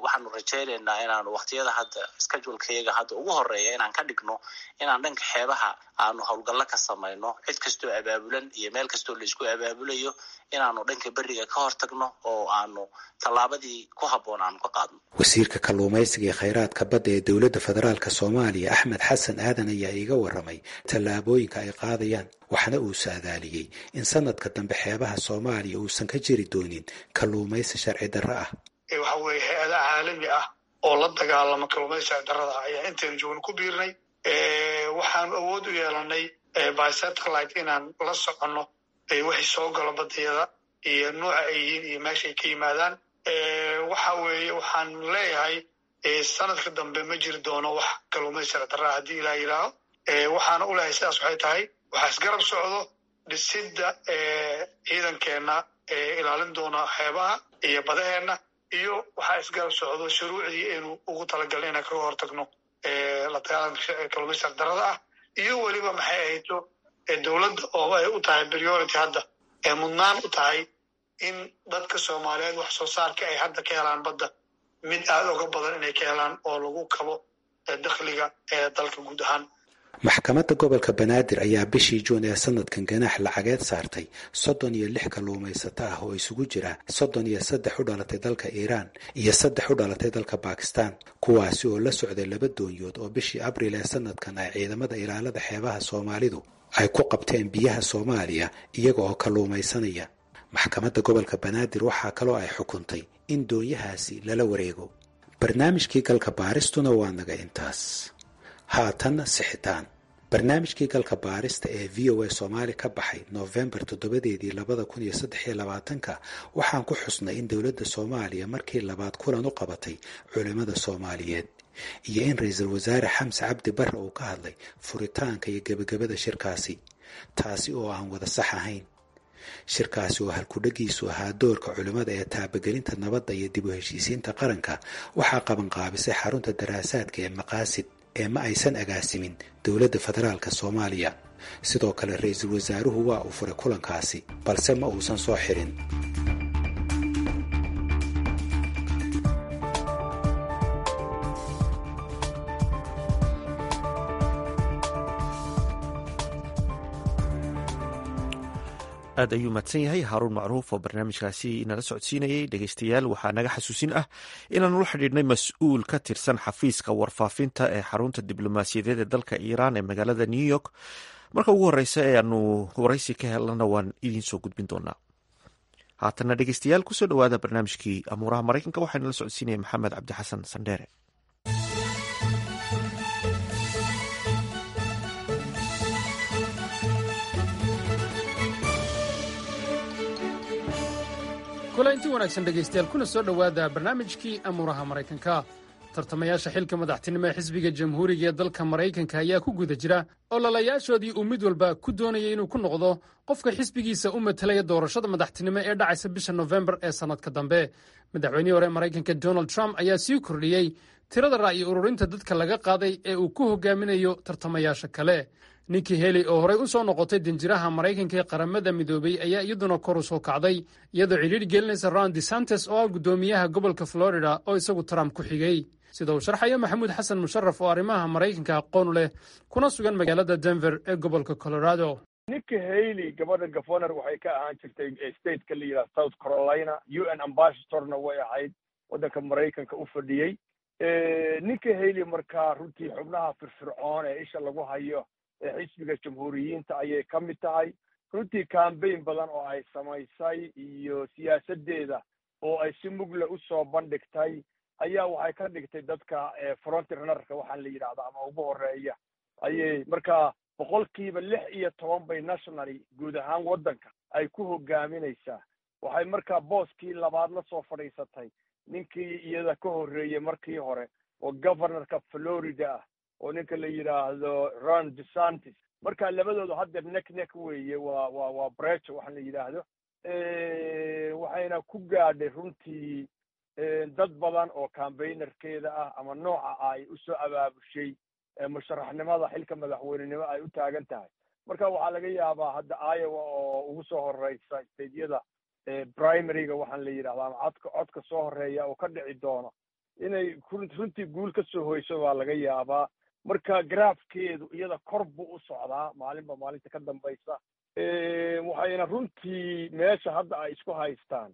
waxaanu rajaynaynaa inaanu waqtiyada hadda schedulekayaga hadda ugu horeeya inaan ka dhigno inaan dhanka xeebaha aanu howlgallo ka samayno, cid kastoo abaabulan iyo meel kastoo laisku abaabulayo inaanu dhanka beriga ka hortagno oo aanu tallaabadii ku habboon aanu ka qaadno. Wasiirka kalluumaysiga iyo khayraadka badda ee dowladda federaalka Soomaaliya, Axmed Xasan Aadan, ayaa iiga waramay tallaabooyinka ay qaadayaan, waxaana uu saadaaliyey in sanadka dambe xeebaha Soomaaliya uusan ka jiri doonin kalluumaysi sharci darro ah. Waxa weeye hay-ada caalami ah oo la dagaalama kalluumaysi sharci darrada ah ayaa intaynu joogno ku biirnay. Waxaanu awood u yeelanay by satellite inaan la soconno wixii soo galo badiyada iyo nooca ay yihiin iyo meesha ay ka yimaadaan. Waxa weeye waxaan leeyahay sanadka dambe ma jiri doono wax kalluumaysi sharci darra ah haddii Ilaah yidhaaho. Waxaana u lehay sidaas waxay tahay waxaa isgarab socdo dhisidda ciidankeenna ee ilaalin doona xeebaha iyo badaheenna, iyo waxaa isgarab socdo shuruucdii aynu ugu talagalnay inaan kaga hortagno la dagaalanka kalluumaysi sharci darrada ah, iyo weliba maxay ahayto dowladda oo ay u tahay priority hadda ee mudnaan u tahay in dadka Soomaaliyeed wax soo saarka ay hadda ka helaan badda mid aada uga badan inay ka helaan oo lagu kabo dakhliga ee dalka guud ahaan. Maxkamadda gobolka Banaadir ayaa bishii Juun ee sanadkan ganaax lacageed saartay 36 kalluumaysato ah oo isugu jira 33 u dhalatay dalka Iiraan iyo 3 u dhalatay dalka Bakistan, kuwaasi oo la socday laba doonyood oo bishii Abriil ee sanadkan ay ciidamada ilaalada xeebaha Soomaalidu ay ku qabteen biyaha Soomaaliya iyaga oo kalluumaysanaya. Maxkamadda gobolka Banaadir waxaa kaloo ay xukuntay in doonyahaasi lala wareego. Barnaamijkii galka baaristuna waa naga intaas. Haatan sixitaan. Barnaamijkii galka baarista ee VOA Soomaali ka baxay Noofembar 7-deedii 2023-ka waxaan ku xusnay in dowladda Soomaaliya markii labaad kulan u qabatay culimmada Soomaaliyeed iyo in ra-iisul wasaare Xamse Cabdi Barre uu ka hadlay furitaanka iyo gebagabada shirkaasi, taasi oo aan wada sax ahayn. Shirkaasi oo halkudhagiisu ahaa doorka culimmada ee taabagelinta nabadda iyo dib u heshiisiinta qaranka waxaa qabanqaabisay xarunta daraasaadka ee Maqaasid ee ma aysan agaasimin dowladda federaalka Soomaaliya. Sidoo kale ra-iisul wasaaruhu waa uu furay kulankaasi, balse ma uusan soo xirin. Aad ayuu mahadsan yahay Haaruun Macruuf oo barnaamijkaasi inala socodsiinayay. Dhegeystayaal, waxaa naga xasuusin ah inaanu la xidhiidhnay mas-uul ka tirsan xafiiska warfaafinta ee xarunta diblomaasiyadeed ee dalka Iiraan ee magaalada New York. Marka ugu horeysa ee aanu waraysi ka helana waan idiin soo gudbin doonaa. Haatanna dhegeystayaal, kusoo dhowaada barnaamijkii amuuraha Maraykanka. Waxaa inala socodsiinaya Maxamed Cabdi Xasan Sandheere. Kulaynti wanaagsan, dhegaystayaal, kuna soo dhowaada barnaamijkii amuuraha Maraykanka. Tartamayaasha xilka madaxtinimo ee xisbiga Jamhuuriga ee dalka Maraykanka ayaa ku guda jira ololayaashoodii uu mid walba ku doonayay inuu ku noqdo qofka xisbigiisa u matalaya doorashada madaxtinimo ee dhacaysa bisha Nofembar ee sannadka dambe. Madaxweynihii hore Maraykanka Donald Trump ayaa sii kordhiyey tirada ra'yi ururinta dadka laga qaaday ee uu ku hogaaminayo tartamayaasha kale. Nikki Haley, oo horey u soo noqotay danjiraha Maraykanka ee Qaramada Midoobay, ayaa iyaduna kor u soo kacday, iyadoo cidhiidh gelinaysa Ron DeSantis, oo ah guddoomiyaha gobolka Florida, oo isagu Trump ku xigay, sida uu sharxayo Maxamuud Xasan Musharaf, oo arrimaha Maraykanka aqoon leh kuna sugan magaalada Denver ee gobolka Colorado. Nikki Haley, gabadha governor waxay ka ahaan jirtay stateka la yidhaha South Carolina, UN ambassadorna way ahayd, waddanka Maraykanka u fadhiyey. Nikki Haley markaa runtii xubnaha firfircoon ee isha lagu hayo ee xisbiga Jamhuuriyiinta ayay ka mid tahay. Runtii campaign badan oo ay samaysay iyo siyaasaddeeda oo ay si mugla usoo bandhigtay ayaa waxay ka dhigtay dadka front runnerka waxaan la yidhahda ama ugu horeeya ayay. Marka 16% bay nationally, guud ahaan waddanka, ay ku hogaaminaysaa. Waxay markaa booskii labaad la soo fadhiisatay ninkii iyada ka horreeyey markii hore, oo governorka Florida ah, oo ninka la yidhaahdo Ron DeSantis. Marka labadoodu haddeer neck neck weeye, waa brecho waxaan la yidhaahdo. Waxayna ku gaadhay runtii dad badan oo campaignerkeeda ah ama nooca ay usoo abaabushay musharaxnimada xilka madaxweynenimo ay u taagan tahay. Marka waxaa laga yaabaa hadda Iowa oo ugu soo horeysa stateyada primaryga waxaan la yidhahda ama codka soo horeeya oo ka dhici doono inay runtii guul ka soo hoyso baa laga yaabaa. Marka graafkeedu iyada kor buu u socdaa maalinba maalinta ka dambaysa. Waxayna runtii meesha hadda ay isku haystaan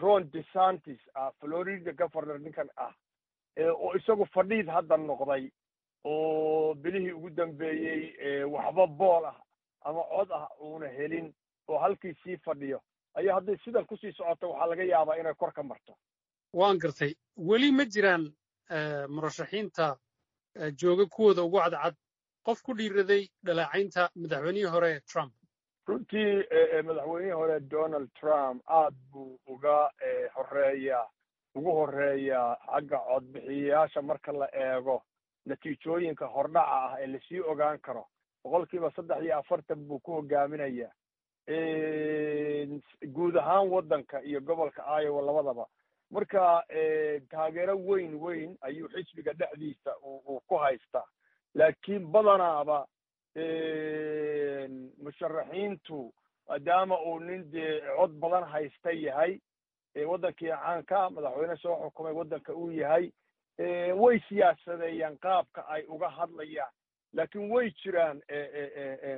Ron DeSantis ah, Florida governor ninkan ah, oo isagu fadhiid hadda noqday, oo bilihii ugu dambeeyey waxba poll ah ama cod ah uuna helin, oo halkii sii fadhiyo ayaa hadday sidan kusii socoto waxaa laga yaabaa inay kor ka marto. Waan gartay. Weli ma jiraan murashaxiinta jooga kuwooda ugu cadcad qof ku dhiiraday dhaleecaynta madaxweynihii hore Trump? Runtii madaxweynihii hore Donald Trump aad buu uga horeeyaa, ugu horeeyaa xagga codbixiyayaasha marka la eego natiijooyinka hordhaca ah ee lasii ogaan karo. 43% buu ku hogaaminayaa guud ahaan waddanka iyo gobolka Iowa labadaba. Marka taageero weyn weyn ayuu xisbiga dhexdiisa uu ku haystaa, laakiin badanaaba musharaxiintu, maadaama uu nin dee cod badan haysta yahay, waddankii caanka madaxweyne soo xukumay waddanka uu yahay, way siyaasadeeyaan qaabka ay uga hadlayaan. Laakiin way jiraan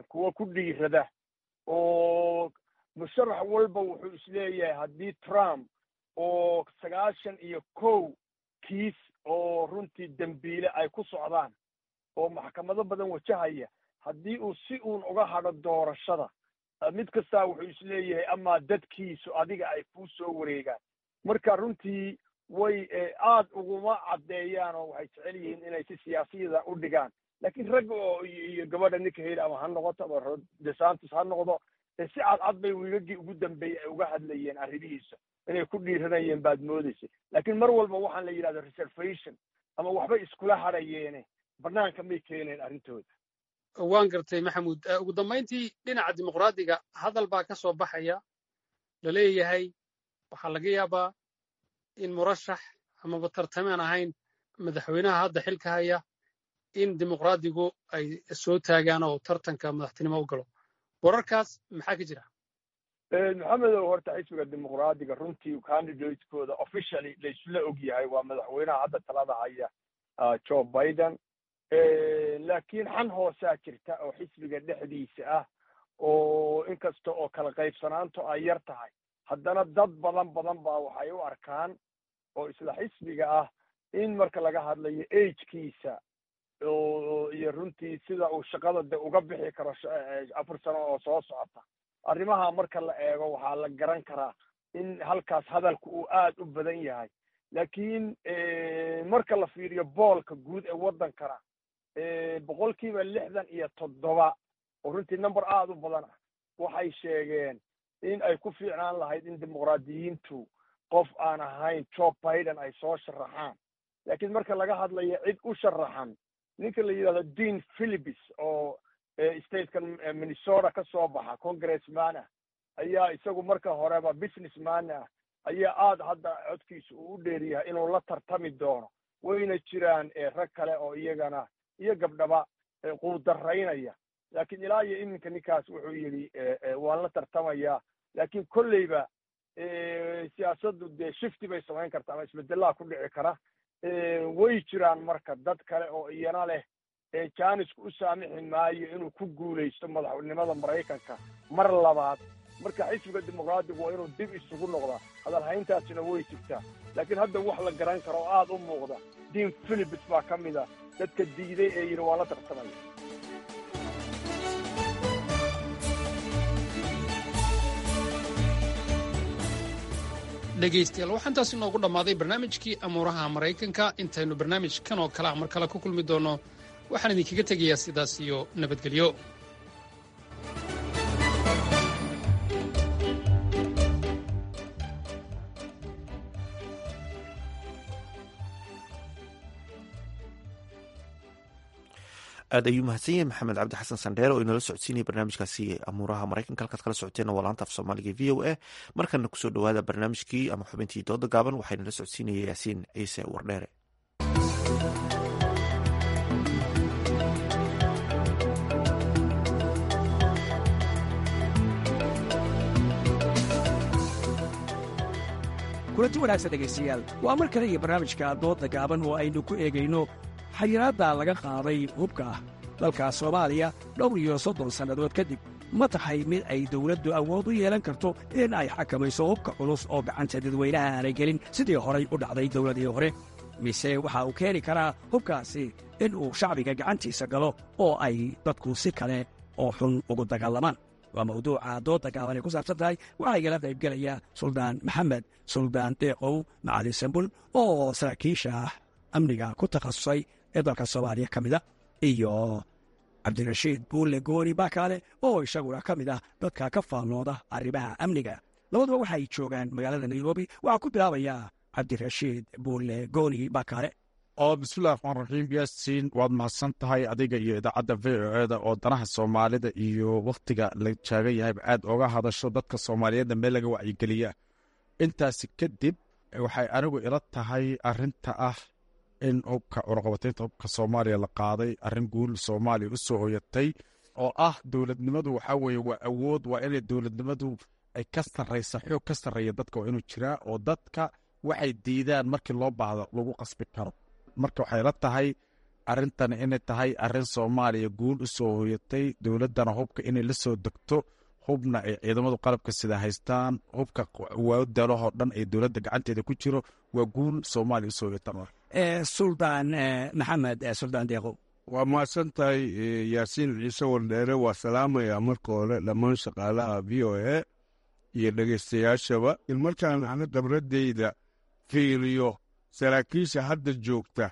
kuwo ku dhiirada, oo musharax walba wuxuu isleeyahay haddii Trump oo 91 kiis oo runtii dembiile ay ku socdaan oo maxkamado badan wajahaya, haddii uu si uun uga hadho doorashada, mid kastaa wuxuu isleeyahay amaa dadkiisu adiga ay kuu soo wareegaan. Marka runtii way aad uguma caddeeyaan oo waxay jecel yihiin inay si siyaasiyada u dhigaan. Laakiin ragga oo iyo gabadha, ninka Haley ama ha noqoto ama DeSantis ha noqdo, si cad cad bay wiigagii ugu dambeeyey ay uga hadlayeen arrimihiisa. Inay ku dhiiranayeen baad moodaysay, laakiin mar walba waxaan la yidhahdo reservation ama waxbay iskula hadhayeene, banaanka may keeneen arrintooda. Waan gartay, Maxamuud. Ugu dambayntii, dhinaca Dimuqraadiga hadal baa ka soo baxaya la leeyahay waxaa laga yaabaa in murashax amaba tartamaan ahayn madaxweynaha hadda xilka haya in Dimuqraadigu ay soo taagaan oo tartanka madaxtinimo u galo. Wararkaas maxaa ka jira? Maxamedow, horta xisbiga Dimuqraadiga runtii candidatekooda officially laysla og yahay waa madaxweynaha hadda talada haya, Joe Biden. Laakiin xan hoosaa jirta oo xisbiga dhexdiisa ah, oo inkasta oo kala qaybsanaantu ay yar tahay, haddana dad badan badan baa waxay u arkaan oo isla xisbiga ah in marka laga hadlayo agekiisa iyo runtii sida uu shaqada de uga bixi karo 4 sano oo soo socota, arrimaha marka la eego, waxaa la garan karaa in halkaas hadalku uu aad u badan yahay. Laakiin marka la fiiriyo pollka guud ee waddankana, 67%, oo runtii number aada u badan ah, waxay sheegeen In ay ku fiicnaan lahayd in dimuqraadiyiintu qof aan ahayn Joe Biden ay soo sharaxaan. Laakiin marka laga hadlayo cid u sharaxan, ninka la yidhahdo Dean Phillips oo statekan Minnesota ka soo baxa, congressman ah, ayaa isagu marka horeba businessman ah, ayaa aada hadda codkiisa uu u dheeryahay inuu la tartami doono. Wayna jiraan rag kale oo iyagana iyo gabdhaba quudaraynaya, laakiin ilaa iyo iminka ninkaas wuxuu yidhi waan la tartamayaa. Laakiin kolleyba siyaasaddu dee shifti bay samayn kartaa ama isbedelaa ku dhici kara. Way jiraan marka dad kale oo iyana leh jaanisku u saamixi maayo inuu ku guulaysto madaxnimada Maraykanka mar labaad. Marka xisbiga dimuqraadigu waa inuu dib isugu noqdaa, hadalhayntaasina way jirtaa. Laakiin hadda wax la garan karo oo aada u muuqda, Dean Phillips baa ka mid a dadka diiday ee yidhi waan la tartamaya. Dhegaystayaal, waxaa intaas inoogu dhammaaday barnaamijkii amuuraha Maraykanka. Intaynu barnaamijkan oo kale ah mar kale ku kulmi doonno, waxaan idinkaga tegayaa sidaas iyo nabadgelyo. Aad ayuu mahadsan yahay Maxamed Cabdi Xasan Sandheere oo inala socodsiinaya barnaamijkaasi amuuraha Maraykanka. Halkaad kala socoteenna waa laanta af Soomaaliga V O A. Markana kusoo dhawaada barnaamijkii ama xubintii dooda gaaban. Waxaa inala socodsiinaya Yaasiin Ciise Wardheere. Kulanti wanaagsan dhegaystayaal, waa mar kale iyo barnaamijka dooda gaaban oo aynu ku eegayno xayiraadda laga qaaday hubka dalka Soomaaliya dhowr iyo 30 sannadood kadib. Ma tahay mid ay dawladdu awood u yeelan karto in ay xakamayso hubka culus oo gacanta dadweynaha aanay gelin sidii horay u dhacday dawladii hore, mise waxa uu keeni karaa hubkaasi in uu shacbiga gacantiisa galo oo ay dadku si kale oo xun ugu dagaalamaan? Waa mawduuca dooda gaaban ay ku saabsan tahay. Waxaa igala qaybgelaya Suldaan Maxamed Suldaan Deeqow Macalin Sambul oo saraakiisha amniga ku takhasusay ee dalka Soomaaliya ka mida, iyo Cabdirashiid Buulle Gooni Baakaale oo isaguna ka mid ah dadka ka faallooda arrimaha amniga. Labaduba waxay joogaan magaalada Nairobi. Waxaa ku bilaabayaa Cabdirashiid Buulle Gooni Baakaale. Oo bismillahi raxmaan raxiim. Yaasiin, waad mahadsan tahay adiga iyo idaacadda V O E da oo danaha Soomaalida iyo wakhtiga la jaagan yahayba aad oga hadasho, dadka Soomaaliyeedna meel laga wacyigeliya. Intaasi kadib, waxay anigu ila tahay arinta ah in hubka cunaqabataynta hubka Soomaaliya la qaaday arrin guul Soomaaliya u soo hoyatay oo ah dowladnimadu waxaa weeye waa awood, waa inay dowladnimadu ay ka sarreysa, xoog ka sarreeya dadka waa inuu jiraa oo dadka waxay diidaan markii loo baahdo lagu qasbi karo. Marka waxay la tahay arrintan inay tahay arrin Soomaaliya guul u soo hoyatay, dowladdana hubka inay la soo degto, hubna ay ciidamadu qalabka sida haystaan, hubka waadalahoo dhan ay dowladda gacanteeda ku jiro, waa guul Soomaaliya usoo hoyatan. Suldaan Maxamed Suldaan Deeqo. Waa mahadsan tahay Yaasiin Ciise Wardheere. Waa salaamayaa marka hore dhammaan shaqaalaha V O A iyo dhegeystayaashaba. Markaan ana khibradeyda fiiriyo, saraakiisha hadda joogta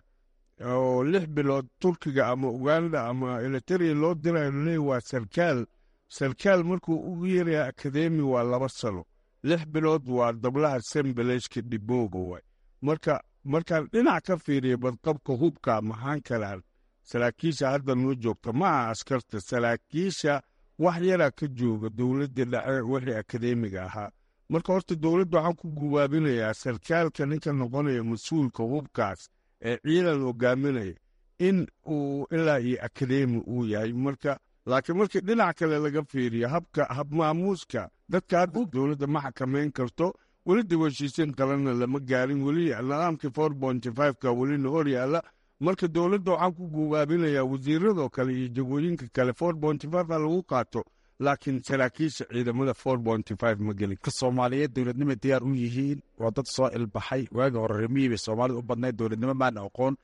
oo 6 bilood Turkiga ama Uganda ama Eliteria loo dirayo, laleeyahy waa sarkaal. Sarkaal markuu ugu yaraya akademi waa 2 sano, 6 bilood waa dablaha sembaleyska dhibooga waay. Marka markaan dhinac ka fiiriyo badqabka hubka, maxaan kalaan saraakiisha hadda noo joogta maaha askarta, saraakiisha wax yaraa ka jooga dowladda dhexe wixii akademiga ahaa. Marka horta dowladda waxaan ku gubaabinayaa sarkaalka ninka noqonaya mas-uulka hubkaas ee ciidan hogaaminaya in uu ilaa iyo akademi uu yahay. Marka laakiin markii dhinac kale laga fiiriyo habka habmaamuuska dadka hadda dowladda ma xakameyn karto, weli dib heshiisiin qaranna lama gaarin, weli nidaamkii 4.5-ka welina hor yaalla. Marka dowladda waxaan ku gubaabinayaa wasiiradoo kale iyo jagooyinka kale 4.5 ha lagu qaato, laakiin saraakiisha ciidamada 4.5 ma gelin. Ka Soomaaliyeed dowladnimo diyaar u yihiin, waa dad soo ilbaxay. Waagi hore reer miyi bay Soomaalida u badnayd, dowladnimo maana aqoon.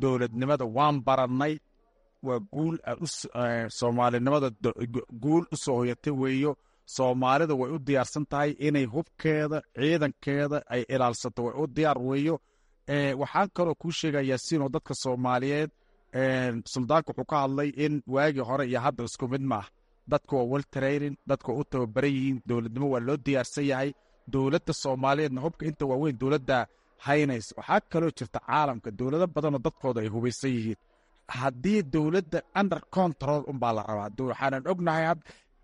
Dowladnimada waan barannay, waa guul soomaalinimada guul u soo hoyatay weeyo. Soomaalida way u diyaarsan tahay inay hubkeeda ciidankeeda ay ilaalsato, way u diyaar weeyo. Waxaan kaloo kuu sheegaya Yaasiin oo dadka Soomaaliyeed, suldaanka wuxuu ka hadlay in waagii hore iyo hadda isku mid maaha. Dadka waa well training, dadka waa u tababaran yihiin, dowladnimo waa loo diyaarsan yahay. Dowladda Soomaaliyeedna hubka inta waaweyn dowladda haynaysa. Waxaa kaloo jirta caalamka dowlado badanoo dadkooda ay hubaysan yihiin. Haddii dowladda under control unbaa la rabaa. Waxaanan ognahay had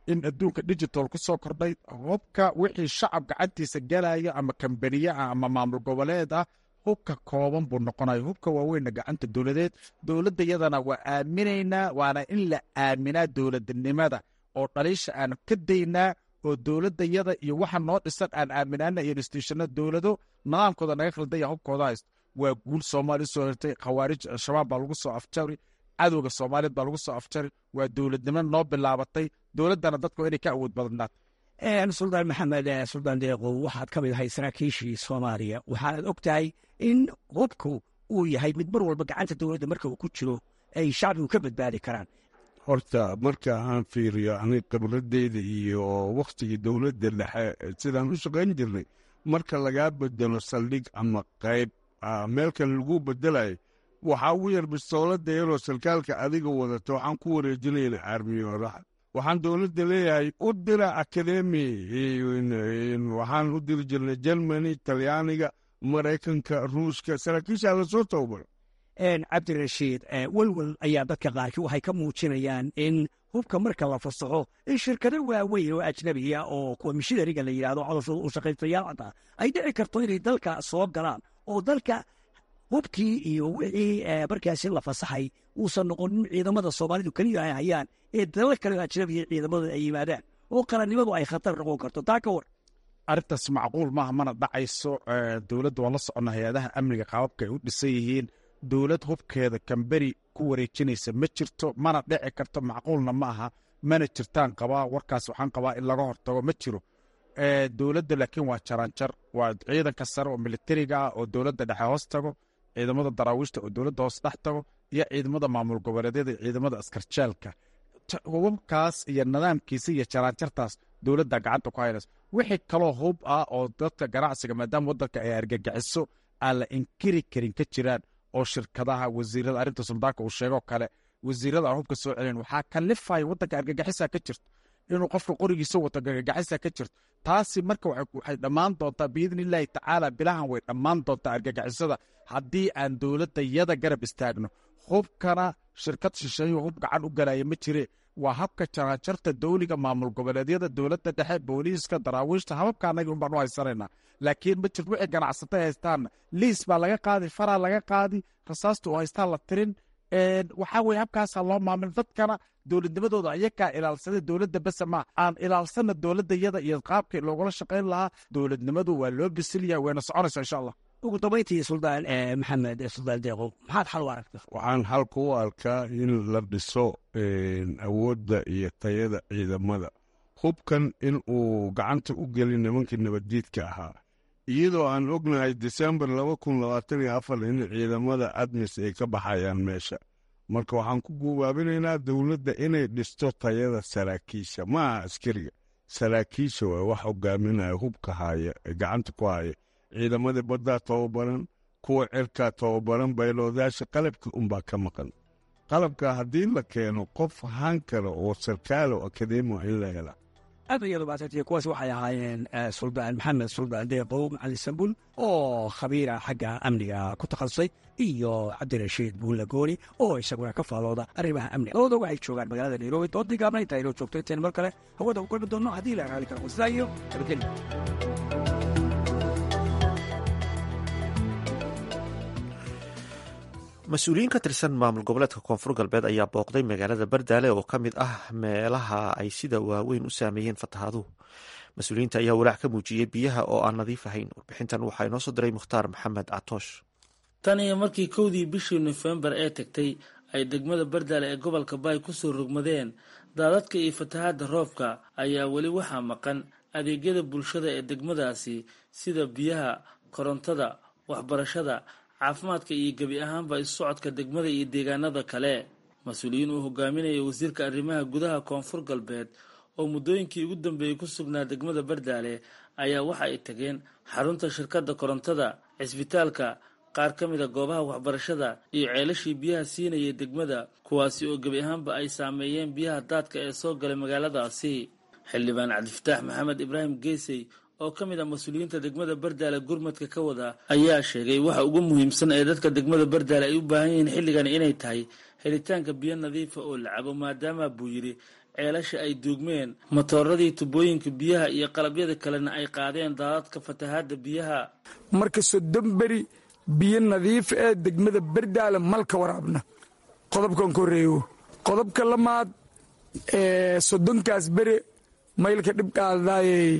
in adduunka digital ku soo kordhay. Hubka wixii shacab gacantiisa galaya ama kambaniye ah ama maamul goboleed ah, hubka kooban buu noqonaya. Hubka waaweynna gacanta dowladeed. Dowladda iyadana waa aaminaynaa, waana in la aaminaa dowladnimada oo dhaliisha aan ka daynaa, oo dowladda yada iyo waxa noo dhisan aan aaminaana, iyo institutionada dowlado nidaamkooda naga khaldaya hubkooda haysto. Waa guul Soomaali soo hirtay. Khawaarij Al-Shabaab baa lagu soo afjari, cadowga Soomaaliyeed baa lagu soo afjari. Waa dowladnimo noo bilaabatay, dowladdana dadku inay ka awood badnaato. Suldaan Maxamed Suldaan Deeqow, waxaad ka mid ahay saraakiishii Soomaaliya. Waxaanad og tahay in hubku uu yahay mid mar walba gacanta dowladda marka uu ku jiro ay shacbigu ka badbaadi karaan. Horta marka aan fiiriyo ani khibradeyda iyo wakhtigii dowladda dhexe sidaan u shaqayn jirnay, marka lagaa bedelo saldhig ama qayb meel kale lagu bedelayo, waxaa ugu yar bistoolada yaroo sarkaalka adiga wadato waxaan ku wareejinayna aarmiyooraha. Waxaan dowladda leeyahay u dira academy. Waxaan u diri jirnay Germany, Talyaaniga, Maraykanka, Ruushka, saraakiisha lasoo tababaro. Cabdirashiid, welwel ayaa dadka qaarkii waxay ka muujinayaan in hubka marka la fasaxo in shirkado waaweyn oo ajnabiya oo kuwa mishidariga la yidhahdo, codashooda u shaqaystayaal cadda, ay dhici karto inay dalka soo galaan oo dalka hubkii iyo wixii markaasi la fasaxay uusan noqonin ciidamada Soomaalidu keliya ay hayaan ee dalal kale oo ajnabiya ciidamada ay yimaadaan oo qarannimadu ay khatar noqon karto. Taa ka war? Arrintaas macquul maaha, mana dhacayso. Dowladda waan la soconnaa hay-adaha amniga qaababka ay u dhisan yihiin. Dowlad hubkeeda kamberi ku wareejinaysa ma jirto, mana dhici karto, macquulna ma aha, mana jirtaan qabaa warkaas. Waxaan qabaa in laga hortago. Ma jiro dowladda, laakiin waa jaranjar. Waa ciidanka sare oo militariga ah oo dowladda dhexe hoos tago, ciidamada daraawiishta oo dowladda hoos dhex tago, iyo ciidamada maamul goboleedyada iyo ciidamada askarjaalka. Hubabkaas iyo nidaamkiisa iyo jaraanjartaas dowladda gacanta ku haynaysa. Wixii kaloo hub ah oo dadka ganacsiga, maadaama waddanka ay argagixiso aan la inkiri karin ka jiraan, oo shirkadaha wasiirada, arrinta suldaanka uu sheegoo kale, wasiirada aan hubka soo celin, waxaa kalifaya waddanka argagixisa ka jirto. Inuu qofka qorigiisa wato argagixisa ka jirto. Taasi marka waxay dhammaan doontaa biidni illaahi tacaala bilahan, way dhammaan doontaa argagixisada haddii aan dowladda yada garab istaagno. Hubkana shirkad shisheeyo hub gacan u galaya ma jire. Waa habka jaraanjarta dowliga, maamul goboleedyada, dowladda dhexe, booliiska, daraawiishta, hababka annaga un baan u haysanaynaa. Laakiin ma jirto. Wixii ganacsatay haystaanna liis baa laga qaadi, faraa laga qaadi, rasaasta oo haystaan la tirin. Waxaa weye habkaasaa loo maamul. Dadkana dowladnimadooda ayagaa ilaalsaday, dowladda bese ma aan ilaalsana. Dowladda yada iyo qaabkii loogula shaqayn lahaa dowladnimadu waa loo bisilyaa, wayna soconaysaa insha Allah. Ugu dambayntii, Suldaan Maxamed Suldaan Deeqow, maxaad xal u aragta? Waxaan xalka u arkaa in la dhiso awoodda iyo tayada ciidamada. Hubkan in uu gacanta u gelin nimankii nabaddiidka ahaa, iyadoo aan ognahay Disembar 2024 in ciidamada ATMIS ay ka baxayaan meesha. Marka waxaan ku guubaabinaynaa dowladda inay dhisto tayada saraakiisha. Ma aha askariga, saraakiisha waa wax hogaaminaya hubka haya, gacanta ku haya. Ciidamadii baddaa tababaran, kuwa cirkaa tababaran, bayloodayaasha, qalabka unbaa ka maqan. Qalabka haddii la keeno, qof ahaan kara oo sarkaalo academy in la helaa. Aad ayaad umaadsantihiin. Kuwaas waxay ahaayeen Suldaan Maxamed Suldaan Deeqow Macalin Sambul oo khabiira xagga amniga ku takhasusay iyo Cabdirashiid Buulla Gooni oo isaguna ka faalooda arrimaha amniga. Labada waxay joogaan magaalada Nairobi. Doodii gaabna intaa inoo joogto. Intayn mar kale hawada ku kulmi doonno, haddii la raali karo, sidaa iyo nabadgelyo. Mas-uuliyiin ka tirsan maamul goboleedka Koonfur Galbeed ayaa booqday magaalada Bardaale oo ka mid ah meelaha ay sida waaweyn u saameeyeen fatahaaduhu. Mas-uuliyiinta ayaa walaac ka muujiyey biyaha oo aan nadiif ahayn. Warbixintan waxaa inoo soo diray Mukhtaar Maxamed Catoosh. Tan iyo markii 1dii bishii Nofembar ee tagtay ay degmada Bardaale ee gobolka Baay kusoo rogmadeen daadadka iyo fatahaadda roobka, ayaa weli waxaa maqan adeegyada bulshada ee degmadaasi sida biyaha, korontada, waxbarashada, caafimaadka iyo gebi ahaanba isu socodka degmada iyo deegaanada kale. Mas-uuliyiin uu hogaaminaya wasiirka arrimaha gudaha Koonfur Galbeed oo muddooyinkii ugu dambeeyey ku sugnaa degmada Bardaale ayaa waxa ay tageen xarunta shirkadda korontada, cisbitaalka, qaar ka mid a goobaha waxbarashada iyo ceelashii biyaha siinayay degmada, kuwaasi oo gebi ahaanba ay saameeyeen biyaha daadka ee soo galay magaaladaasi. Xildhibaan Cabdifataax Maxamed Ibraahim Geesey oo ka mid ah mas-uuliyiinta degmada Bardaale gurmadka ka wada ayaa sheegay waxa ugu muhiimsan ee dadka degmada Bardaale ay u baahan yihiin xilligan inay tahay helitaanka biyo nadiifa oo la cabo, maadaama buu yidhi ceelasha ay duugmeen, matooradii tubooyinka biyaha iyo qalabyada kalena ay qaadeen daadadka fatahaadda biyaha. Marka 30 beri biyo nadiif ee degmada Bardaale malka waraabna, qodobkan ka horreeyo. Qodobka lamaad ee 30kaas beri maylka dhibqaadaayay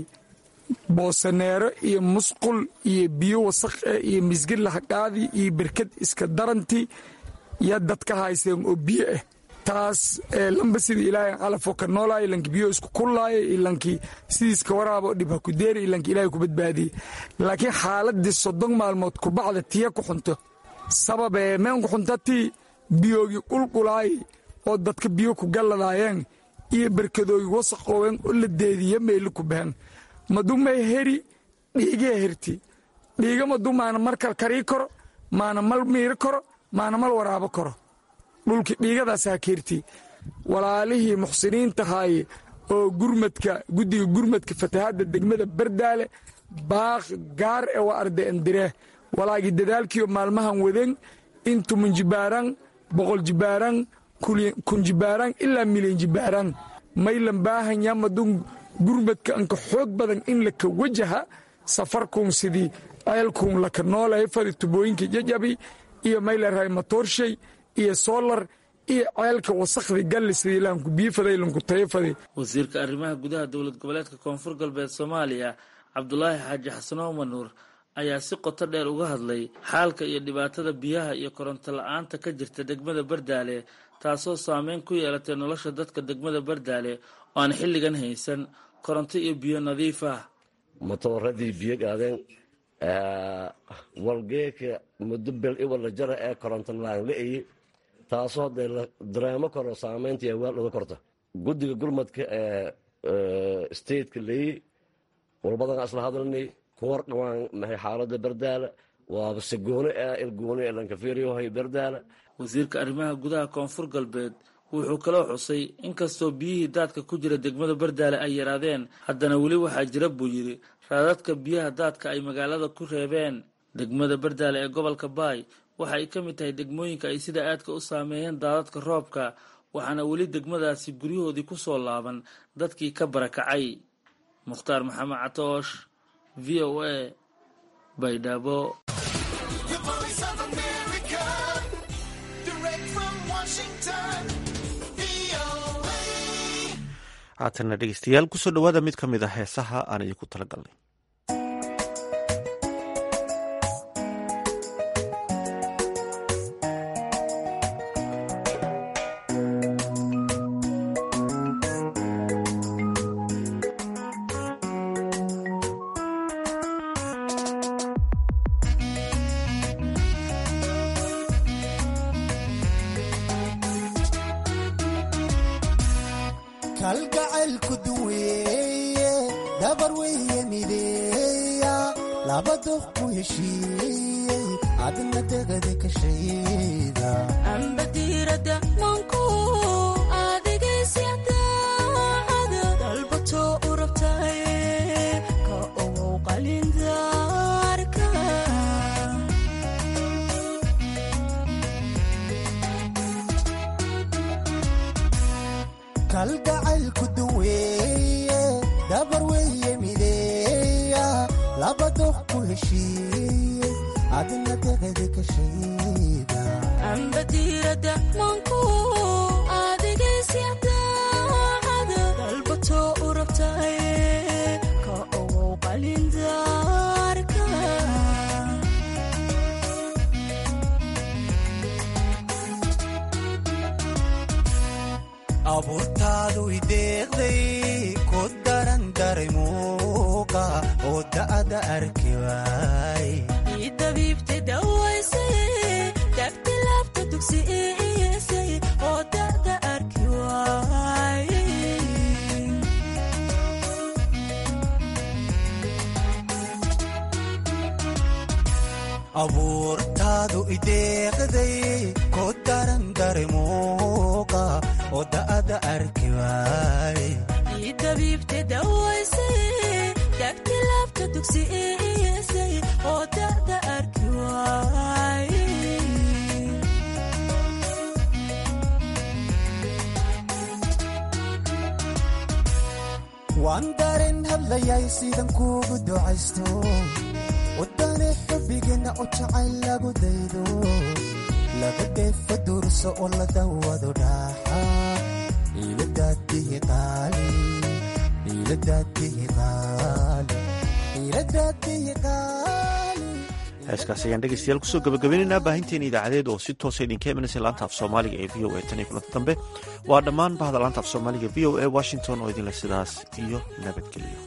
boosaneero iyo musqul iyo biyo wasaq eh iyo misgid lahaqaadi iyo berkad iska daranti ya dadka hayseen oo biyo ah. Taas lamba sida ilaahay calafoo ka noolaay, lanki biyo isku kullaaya iyo lanki sidiiska waraabo dhib ha ku deeri iyo lanki ilaahay ku badbaadiyey. Laakiin xaaladii 30 maalmood kubacda tiya ku xunto sababee meen ku xuntatii biyoogii qulqulaay oo dadka biyo ku galladaayeen iyo berkadoogi wasaqooween oo la deediya meeli ku bahan madumay heri dhiigee herti dhiiga madu maana mar karkarii karo, maana mal miiri karo, maana mal waraabo karo. Dhulki dhiigadaas ha keerti. Walaalihii muxsiniintahaaye oo gurmadka guddiga gurmadka fatahaadda degmada Bardaale baaq gaar e waa arday andiree walaagii dadaalkiiyo maalmahan wadeen in 10 jibaaraan, 100 jibaaraan, 1000 jibaaraan ilaa milyan jibaaraan maylan baahanya madun gurmadka anka xoog badan in laka wajaha safarkuun sidii ceelkuun laka noolay fadi tubooyinka jajabi iyo mayleerahay matoorshay iyo soolar iyo ceelka wasakhdii galli sidii laanku biyo faday lanku tayo faday. Wasiirka arrimaha gudaha dowlad goboleedka Koonfur Galbeed Soomaaliya Cabdulaahi Xaaji Xasan Oomar Nuur ayaa si qoto dheer uga hadlay xaalka iyo dhibaatada biyaha iyo koronto la-aanta ka jirta degmada Bardaale, taasoo saameyn ku yeelatay nolosha dadka degmada Bardaale oo aan xilligan haysan koronto iyo biyo nadiif ah. Matooradii biyo qaadeen walgeeka muddo bel iwala jara ee koronto laan la-eyi, taasoo dee la dareemo karo saameynta waal uga korta. Guddiga gurmadka ee stateka leeyi walbadan isla hadalnay kuwar dhawaan maxay xaaladda Bardaala waaba se gooni ee ilgooni ee lankafiiriyohay Bardaala. Wasiirka arrimaha gudaha Koonfur Galbeed wuxuu kaloo xusay inkastoo biyihii daadka ku jira degmada Bardaale ay yaraadeen, haddana weli waxaa jira buu yidhi raadadka biyaha daadka ay magaalada ku reebeen. Degmada Bardaale ee gobolka Baay waxa ay ka mid tahay degmooyinka ay sida aadka u saameeyeen daadadka roobka, waxaana weli degmadaasi guryahoodii ku soo laaban dadkii ka barakacay. Mukhtaar Maxamed Catoosh, VOA, Baydhabo. The Voice of America, direct from Washington, VOA. Haatanna dhegeystayaal, kusoo dhowaada mid ka mid ah heesaha aan idinku talagalnay. Kalgacaylku duweeye dabar weeye mideeya laba duq ku heshiiyey adna degada ka shayda. Amba diirada manku adigaysyadaacada dalbato u rabtaye ka ogow qalindaarka. Kalgacaylku duweeye dabar weeye mideeya laba duq ku heshiiyey adna degada ka shayda. Amba diirada manku adigaysyadaacada dalbato u rabtaye ka ogow qalindaarka. Abuurtaadu ideeqday ku daran daray muuqa oo da'da arki waay. Idabiibti dawaysay dagti laabta dugsiisay oo da'da arki waay. Abuurtaadu ideeqday ku daran daray muuqa oo da'ada arki waay. Idabiibte dawaysay dagti laabta dugsiisay oo da'da arki waay. Waan dareen hadlayay sidan kuugu ducaysto, wadani xubbigeena oo jacayl lagu daydo, laga dheefo durso oo la dawado dhaaxa iladaatihi qaali, iladaatihi qaali, iladaatihi qaali. Heeskaas ayaan dhegeystayaal kusoo gabagabaynaynaa baahinteena idaacadeed oo si toosa idinka imanaysa laanta af soomaaliga ee VOA. Tan iyo kulanta dambe, waa dhammaan bahda laanta af soomaaliga VOA Washington oo idinleh sidaas iyo nabadgelyo.